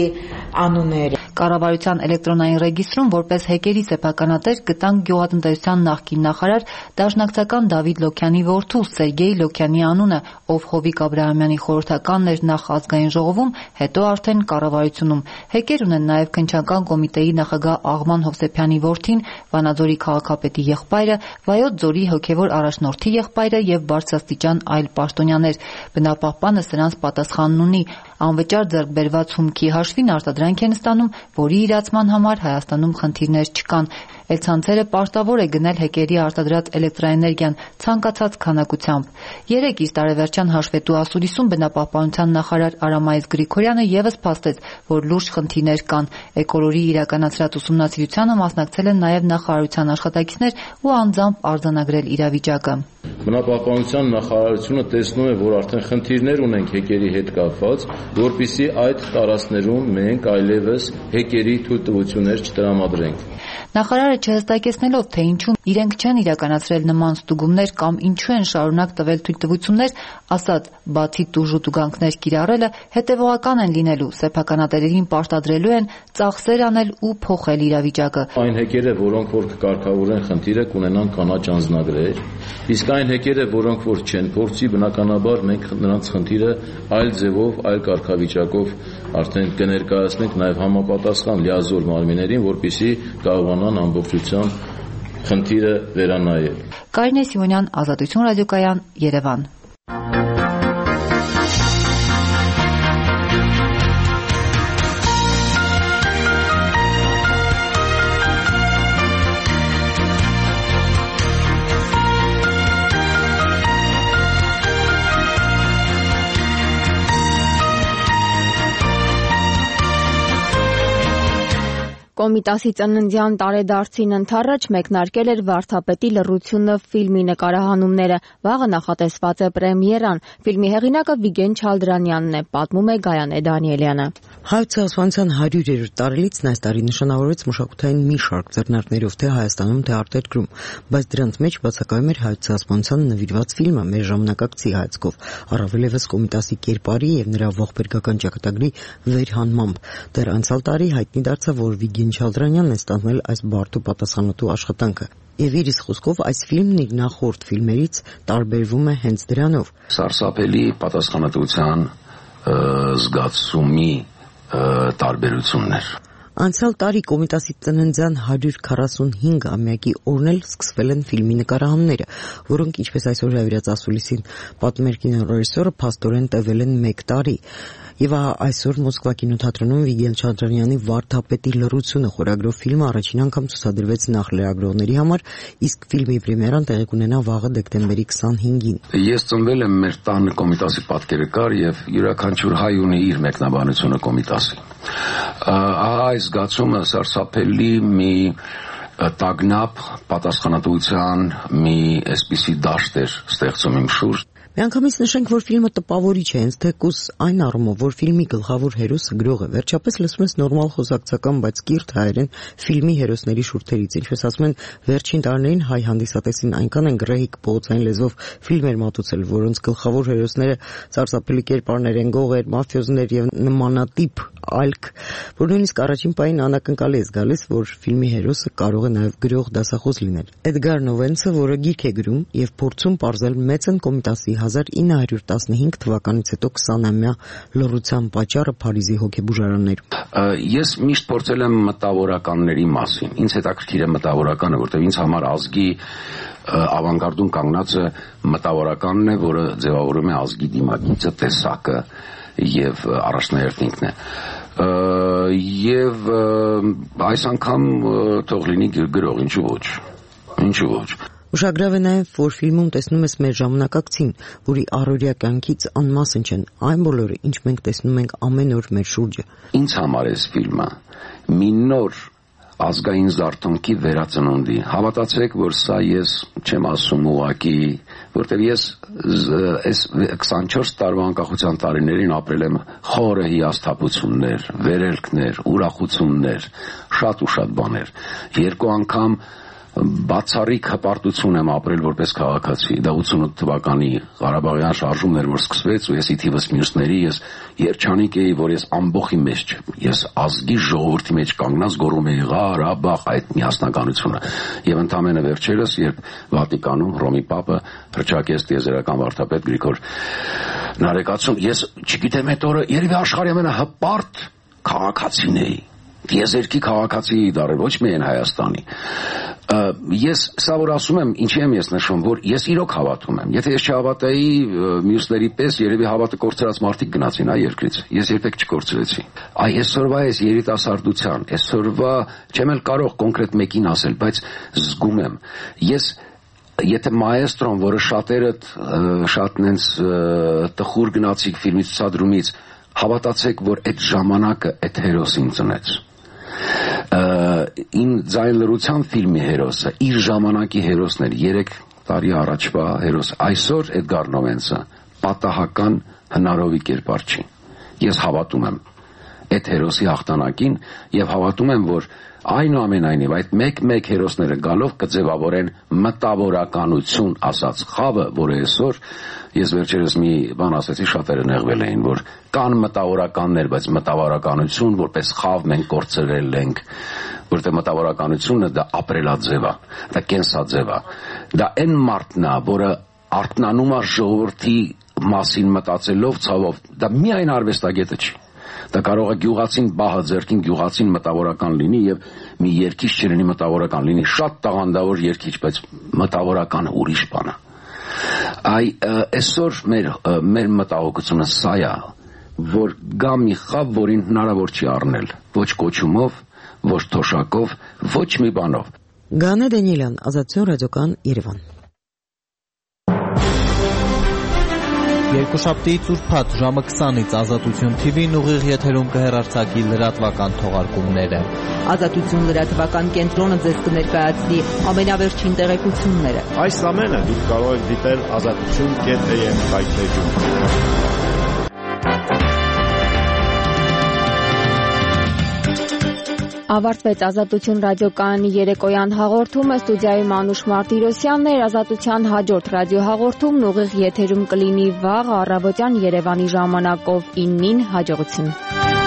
անուններ։ Կառավարության էլեկտրոնային ռեգիստրում որպես հեկերի սեփականատեր գտանք գյուղատնտեսության նախկին նախարար դաշնակցական Դավիթ Լոքյանի որդու Սերգեյ Լոքյանի անունը, ով Հովիկ Աբրահամյանի խորհրդականն էր նախ ազգային ժողովում, հետո արդեն կառավարությունում։ Հեկեր ունեն նաև քննչական կոմիտեի նախագահ Աղման Հովսեփյանի որդին, Վանաձորի քաղաքապետի եղբայրը, Վայոց ձորի հոգևոր առաջնորդի եղբայրը եւ բարձրաստիճան այլ պաշտոնյաներ։ Բնապահպանը սրանց պատասխանն ունի։ Անվճար ձեռք բերված հումքի հաշվին արտադրանք են ստանում, որի իրացման համար Հայաստանում խնդիրներ չկան։ Էլցանցերը պարտավոր է գնել հեկերի արտադրած էլեկտրաէներգիան ցանկացած քանակությամբ։ Երեկ իր տարեվերջյան հաշվետու ասուլիսում բնապահպանության նախարար Արամայես Գրիգորյանը եւս փաստեց, որ լուրջ խնդիրներ կան։ Էկոլորի իրականացրած ուսումնասիրությանը մասնակցել են նաեւ նախարարության աշխատակիցներ ու անձամբ արձանագրել իրավիճակը։ Բնապահպանության նախարարությունը տեսնում է, որ արդեն խնդիրներ ունենք հեկերի հետ կապված, որպեսզի այդ տարածքներում մենք այլևս հեկերի թույլտվություններ չտրամադրենք։ Նախարարը չհստակեցնելով, թե ինչու իրենք չեն իրականացրել նման ստուգումներ կամ ինչու են շարունակ տվել թույլտվություններ, ասաց, բացի տուժ ու տուգանքներ կիրառելը, հետևողական են լինելու, սեփականատերերին պարտադրելու են ծախսեր անել ու փոխել իրավիճակը։ Այն հեկերը, որոնք որ կկարգավորեն խնդիրը, կունենան կանաչ անձնագրեր, իսկ այն հեկերը, որոնք որ չեն փորձի, բնականաբար մենք նրանց խնդիրը այլ ձևով, այլ կարգավիճակով արդեն կներկայացնենք նաև համապատասխան լիազոր մարմիններին, որպեսզի կարողանան ամբողջությամբ խնդիրը վերանայել։ Կարինե Սիմոնյան, Ազատություն ռադիոկայան, Երևան։ Կոմիտասի ծննդյան տարեդարձին ընդառաջ մեկնարկել էր «Վարդապետի լռությունը» ֆիլմի նկարահանումները։ Վաղը նախատեսված է պրեմիերան։ Ֆիլմի հեղինակը Վիգեն Չալդրանյանն է, պատմում է Գայանե Դանիելյանը։ Հայոց ցեղասպանության հարյուրերորդ տարելիցն այս տարի նշանավորվեց մշակութային մի շարք ձեռնարկներով թե Հայաստանում, թե արտերկրում, բայց դրանց մեջ բացակայում էր հայոց ցեղասպանությանը նվիրված ֆիլմը մեր ժամանակակցի հայացքով, առավել ևս Կոմիտասի կերպարի եւ նրա ողբերգական ճակատագրի վերհանմամբ։ Դեռ անցյալ տարի հայտնի դարձավ, որ Վիգեն Չալդրանյանն է ստանձնել այս բարդ ու պատասխանատու աշխատանքը։ Եվ իր խոսքով այս ֆիլմն իր նախորդ ֆիլմերից տարբերվում է հենց դրանով։ Սարսափելի պատասխանատվության զգացումի տարբերություններ։ Անցյալ տարի Կոմիտասի ծննդյան հարյուր քառասունհինգամյակի օրն էլ սկսվել են ֆիլմի նկարահանումները, որոնք, ինչպես այսօր հրավիրած ասուլիսին պատմում էր կինոռեժիսորը, փաստորեն տևել են մեկ տարի։ Եվ այսօր Մոսկվա կինոթատրոնում Վիգեն Չալդրանյանի «Վարդապետի լռությունը» խորագրով ֆիլմը առաջին անգամ ցուցադրվեց նախ լրագրողների համար, իսկ ֆիլմի պրեմիերան տեղի կունենա վաղը դեկտեմբերի քսանհինգին։ Ես ծնվել եմ մեր տանը Կոմիտասի պատկերը կար եւ յուրաքանչյուր հայ ունի իր մեկնաբանությունը Կոմիտասի։ Այս զգացումը սարսափելի մի տագնապ պատասխանատվության մի այսպիսի դաշտ էր ստեղծում իմ շուրջ։ Միանգամից նշենք, որ ֆիլմը տպավորիչ է, հենց թեկուզ այն առումով, որ ֆիլմի գլխավոր հերոսը գրող է։ Վերջապես լսում ես նորմալ խոսակցական, բայց կիրթ հայերեն ֆիլմի հերոսների շուրթերից։ Ինչպես ասում են, վերջին տարիներին հայ հանդիսատեսին այնքան են գրեհիկ փողոցային լեզվով ֆիլմեր մատուցել, որոնց գլխավոր հերոսները սարսափելի կերպարներ են, գողեր, մաֆիոզներ եւ նմանատիպ ալք, որ նույնիսկ առաջին պահին անակնկալի է գալիս, որ ֆիլմի հերոսը կարող է նաեւ գրող դասախոս լինել։ Էդգար Նովենցը, որը գիրք է գրում եւ փորձում պարզել մեծն Կոմիտասի հազար ինը հարյուր տասնհինգ թվականից հետո քսանամյա լռության պատճառը Փարիզի հոգեբուժարաններում։ Ես միշտ փորձել եմ մտավորականների մասին։ Ինձ հետաքրքիր է մտավորականը, որտեղ ինձ համար ազգի ավանգարդում կանգնածը մտավորականն է, որը ձևավորում է ազգի դիմագիծը, տեսակը եւ առաջնահերթինքն է։ Եվ այս անգամ թող լինի գրող, ինչու ոչ։ Ինչու ոչ։ Ուշագրավ է նաև, որ ֆիլմում տեսնում ես մեր ժամանակակցին, որի առօրյա կյանքից անմասն չեն այն բոլորը, ինչ մենք տեսնում ենք ամեն օր մեր շուրջը։ Ինձ համար այս ֆիլմը մի նոր ազգային զարթոնքի վերածնունդի։ Հավատացեք, որ սա ես չեմ ասում ուղակի, որտեղ ես այս քսանչորս տարվա անկախության տարիներին ապրել եմ խորը հիասթափություններ, վերելքներ, ուրախություններ, շատ ու շատ բաներ։ Երկու անգամ բացառիկ հպարտություն եմ ապրել որպես քաղաքացի։ Դա ութսունութ թվականի Ղարաբաղյան շարժումն էր, որ սկսվեց, ու ես ի թիվս մյուսների ես երջանիկ էի, որ ես ամբողջի մեջ չեմ։ Ես ազգի ժողովրդի մեջ կանգնած գոռում էի Ղարաբաղ, այդ միասնականությունը։ Եվ ընդամենը վերջերս, երբ Վատիկանում Ռոմի Պապը հռչակեց տիեզերական վարդապետ Գրիգոր Նարեկացուն, ես չգիտեմ այդ օրը երևի աշխարհի ամենահպարտ քաղաքացին էի։ Տիեզերքի քաղաքացի դառել, ոչ միայն Հայաստանի։ Ես սա որ ասում եմ, ինչի եմ ես նշում, որ ես իրոք հավատում եմ։ Եթե ես չհավատայի մյուսների պես, երևի հավատը կորցրած մարդիկ գնացին այ երկրից։ Ես երբեք չկորցրեցի։ Այ այսօրվա այս երիտասարդության, այսօրվա չեմ էլ կարող կոնկրետ մեկին ասել, բայց զգում եմ։ Ես Եթե մայեստրոն, որը շատերը շատ նենց տխուր գնացիկ ֆիլմի ցուցադրումից, հավատացեք, որ այդ ժամանակը այդ հերոսին ծնեց։ Ին ձայն լռության ֆիլմի հերոսը իր ժամանակի հերոսն էր, երեք տարի առաջվա հերոս։ Այսօր Էդգար Նովենցը պատահական հնարովի կերպար չի։ Ես հավատում եմ այդ հերոսի հաղթանակին եւ հավատում եմ, որ այնուամենայնիվ այդ մեկ-մեկ հերոսները գալով կձևավորեն մտավորականություն ասած խավը, որը այսօր ես վերջերս մի բան ասեցի, շատերը նեղվել էին, որ կան մտավորականներ, բայց մտավորականություն որպես խավ մենք կորցրել ենք, որտեղ մտավորականությունը դա ապրելաձև է, դա կենսաձև է, դա այն մարդն է, որը արթնանում է ժողովրդի մասին մտածելով, ցավով, դա միայն արվեստագետը չի։ Դա կարող է գյուղացին բահը ձեռքին գյուղացին մտավորական լինի եւ մի երգիչ չլինի մտավորական լինի, շատ տաղանդավոր երգիչ, բայց մտավորականը ուրիշ բան է։ Այ այսօր մեր մեր մտահոգությունը սա է, որ գա մի խավ, որին հնարավոր չի առնել, ոչ կոչումով, ոչ թոշակով, ոչ մի բանով։ Գանե Դանիելյան, Ազատություն ռադիոկան, Երևան։ Երկուշաբթիից ուրբաթ ժամը քսանից Ազատություն Թի Վին ուղիղ եթերում կհեռարձակի լրատվական թողարկումները։ Ազատություն լրատվական կենտրոնը ձեզ կներկայացնի ամենավերջին տեղեկությունները։ Այս ամենը դուք կարող եք դիտել ազատություն կետ էյ էմ հայտնեջում։ Ավարտվեց Ազատություն ռադիոկայանի երեկոյան հաղորդումը, ստուդիայում Անուշ Մարտիրոսյանն էր, Ազատության հաջորդ ռադիոհաղորդումն ուղիղ եթերում կլինի վաղ առավոտյան Երևանի ժամանակով իննին, հաջողություն։